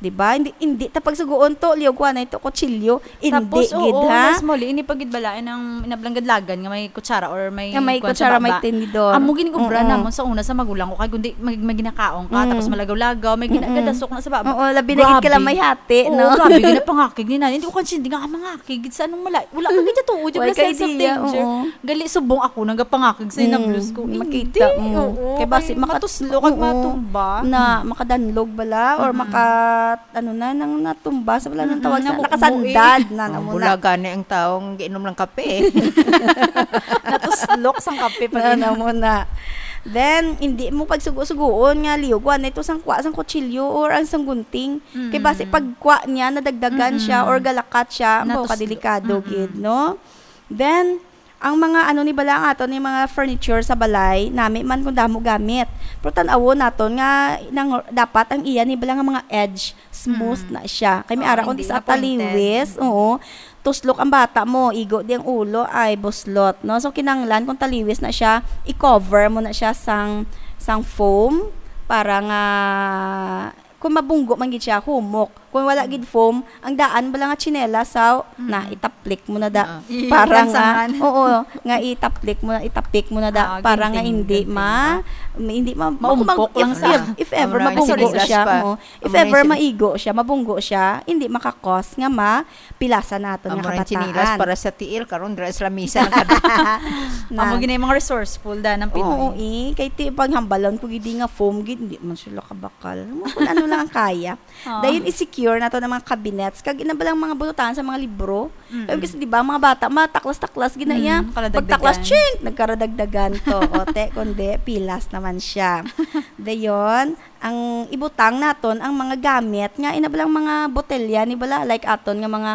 Di ba? Hindi, hindi ta pagsugoon to, liog ko na ito, kutsilyo. Hindi Tapos, gid, oo, ha? mas muli, ini pa gid balain ang inablang gadlagan nga may kutsara or may Nga may kuwan sa kutsara, may baba. tinidor. Amo gid ni kubra Oo. namon sa una sa magulang ko, kay kundi mag-, may ginakaon ka, Mm. tapos malagaw-lagaw, may gina-, Mm-mm. gadasok na sa baba. Oo, labi na gid ka lang Grabe. may hati, Oo, no? grabe, ginapangakig ni nanay. Hindi ko kansindi nga, ah, mangakig, sa anong mala-, wala ka gid tuod, Wala wala ka sense of idea, danger. oo. Gali, subong ako, nagapangakig sa Mm, inablos ko. makita Hindi, mo. oo, Kay basi kay makat-, matuslok at oo. matumba. Na, makadanlog bala, or Mm-mm. maka-, ano na, nang natumba, sa wala nang Mm-mm, tawag sa, nakukumo eh. nakasandad na, Oh, namo na. bulaga ni ang taong giinom ng kape. Natuslok sang kape pag Na, inom. namo na. Then, hindi mo pagsugo-sugoon nga liog, wa na ito sang kwa, sang kutsilyo, or ang sang gunting. Kay basi Mm. pagkwa niya, nadagdagan siya, Mm-mm. or galakat siya, ang Natuslok. kadelikado Mm-mm. gid, no? Then, ang mga ano ni bala ang aton ni mga furniture sa balay, nami man kung damo gamit. Pero tan-awon naton nga nang, dapat ang iya ni bala nga mga edge, smooth Mm. na siya. Kay may Oo, ara kung hindi sa nga pointed. taliwis, oo, tuslok ang bata mo, igo di ang ulo, ay buslot, no? So, kinanglan kung taliwis na siya, i-cover mo na siya sang, sang foam para nga kung mabunggo man gid siya, humok. Kung wala gid foam, ang daan bala nga tsinelas, sa, Mm. na itaplik mo na da. Ah. Para nga, Ilansangan. oo, nga itaplik mo na, itapik mo na da, Ah, para nga ginting, hindi ginting ma-, ba? ma-, hindi ma-, Maumpok kung mag-, lang if, sa if, if ever Mura mabunggo siya, tsinelas pa. mo, if Mura ever tsinelas. maigo siya, mabunggo siya, hindi makakos nga ma-, pilasan naton nga Amo rin kabataan. Chinilas para sa tiil, karon dira sa lamisa na kada. Na. Amo gini mga resourceful da ng Pinoy. Oo, eh. Kay ti, paghambalan ko gid nga foam gid, hindi man sila kabakal. Mo kung ano lang ang kaya. Ah. Dayon i-secure nato ng mga cabinets, kag ina ba lang mga bunutan sa mga libro. Mm. Kay kasi, di ba, mga bata, mataklas-taklas gid na Mm, iya. kaladagdagan. Pagtaklas, chink, nagkaradagdagan to. O, te, kundi, pilas naman siya. Dayon, ang ibutang naton ang mga gamit nga ina ba lang mga botelya ni bala, like aton nga mga,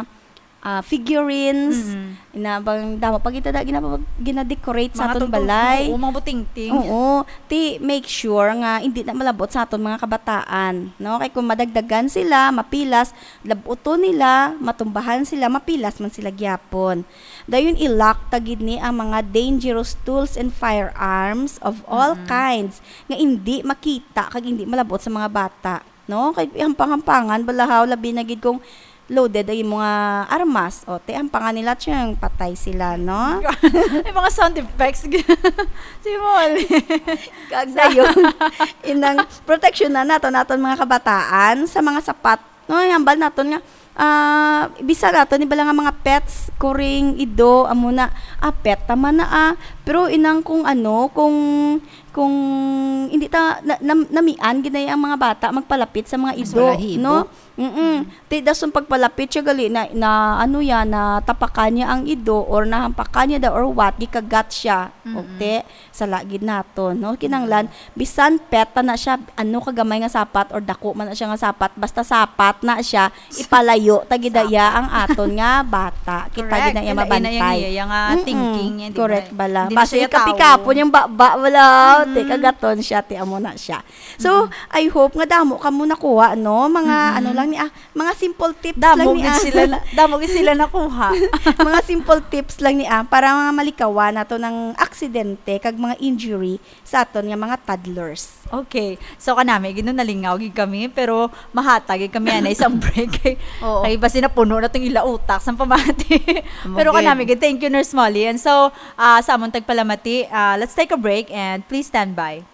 ah, figurines, Mm. ina bang damo pa kita da ginapa-, gina-decorate sa Mga aton tuntun-, balay. Oo, mga butingting. Oo, ti make sure nga hindi na malabot sa aton mga kabataan, no? Kay kung madagdagan sila, mapilas, labuton nila, matumbahan sila, mapilas man sila gyapon. Dayon i-lock ta gid ni ang mga dangerous tools and firearms of all Mm-mm. kinds nga indi makita kag indi malabot sa mga bata, no? Kay hampang-hampangan bala haw, labi na gid kung loaded ang imo nga armas. O, te, hampangan nila, tiyang patay sila, no? May mga sound effects. Si Molly. Kag dayon, inang proteksyon na nato, naton mga kabataan sa mga sapat, no? Hambal naton nga Ah, bisan ato ni bala nga mga pets, kuring, ido, amo na, ah, pet ta man na, ah. Pero inang kung ano, kung, kung hindi ta, na, nam-, namian gid na ang mga bata magpalapit sa mga Mas ido, wala hibo. No? Mm-mm. Ti dason pagpalapit siya gali na, na ano ya, na tapakan niya ang ido or nahampakan niya daw or what, gikagat siya. Mm-mm. Okay? Sala gid naton, no? Kinahanglan, bisan pet ta na siya, ano kagamay nga sapat or dako man na siya nga sapat, basta sapat na siya, ipalayo ta gid iya ang aton nga bata. Kita gid na iya mabantay. Correct. Ila-, ila yang iya nga Mm-mm. Thinking niya, di ba? Correct bala. Hindi na Basta siya ikapikapon tawo. Yung baba, wala. Mm. Ti kagaton siya, ti amo na siya. So, Mm-mm. I hope nga damo kamo nakuha, no? Mga Mm-mm. ano lang ni, ah, mga simple tips Damo lang ni, gid ah. Sila na, damo gid sila nakuha. Mga simple tips lang ni, ah, para mga malikawan nato ng aksidente kag mga injury sa aton nga mga toddlers. Okay. So, kanami, gid, no, nalingaw gid kami, pero mahatag gid kami, anay, isang break. Oo. Kay basi napuno na tong ila utak sa pamati. Amo Pero gid. Kanami, gid, thank you, Nurse Molly. And so, ah, sa amon tagpalamati, ah, let's take a break and please stand by.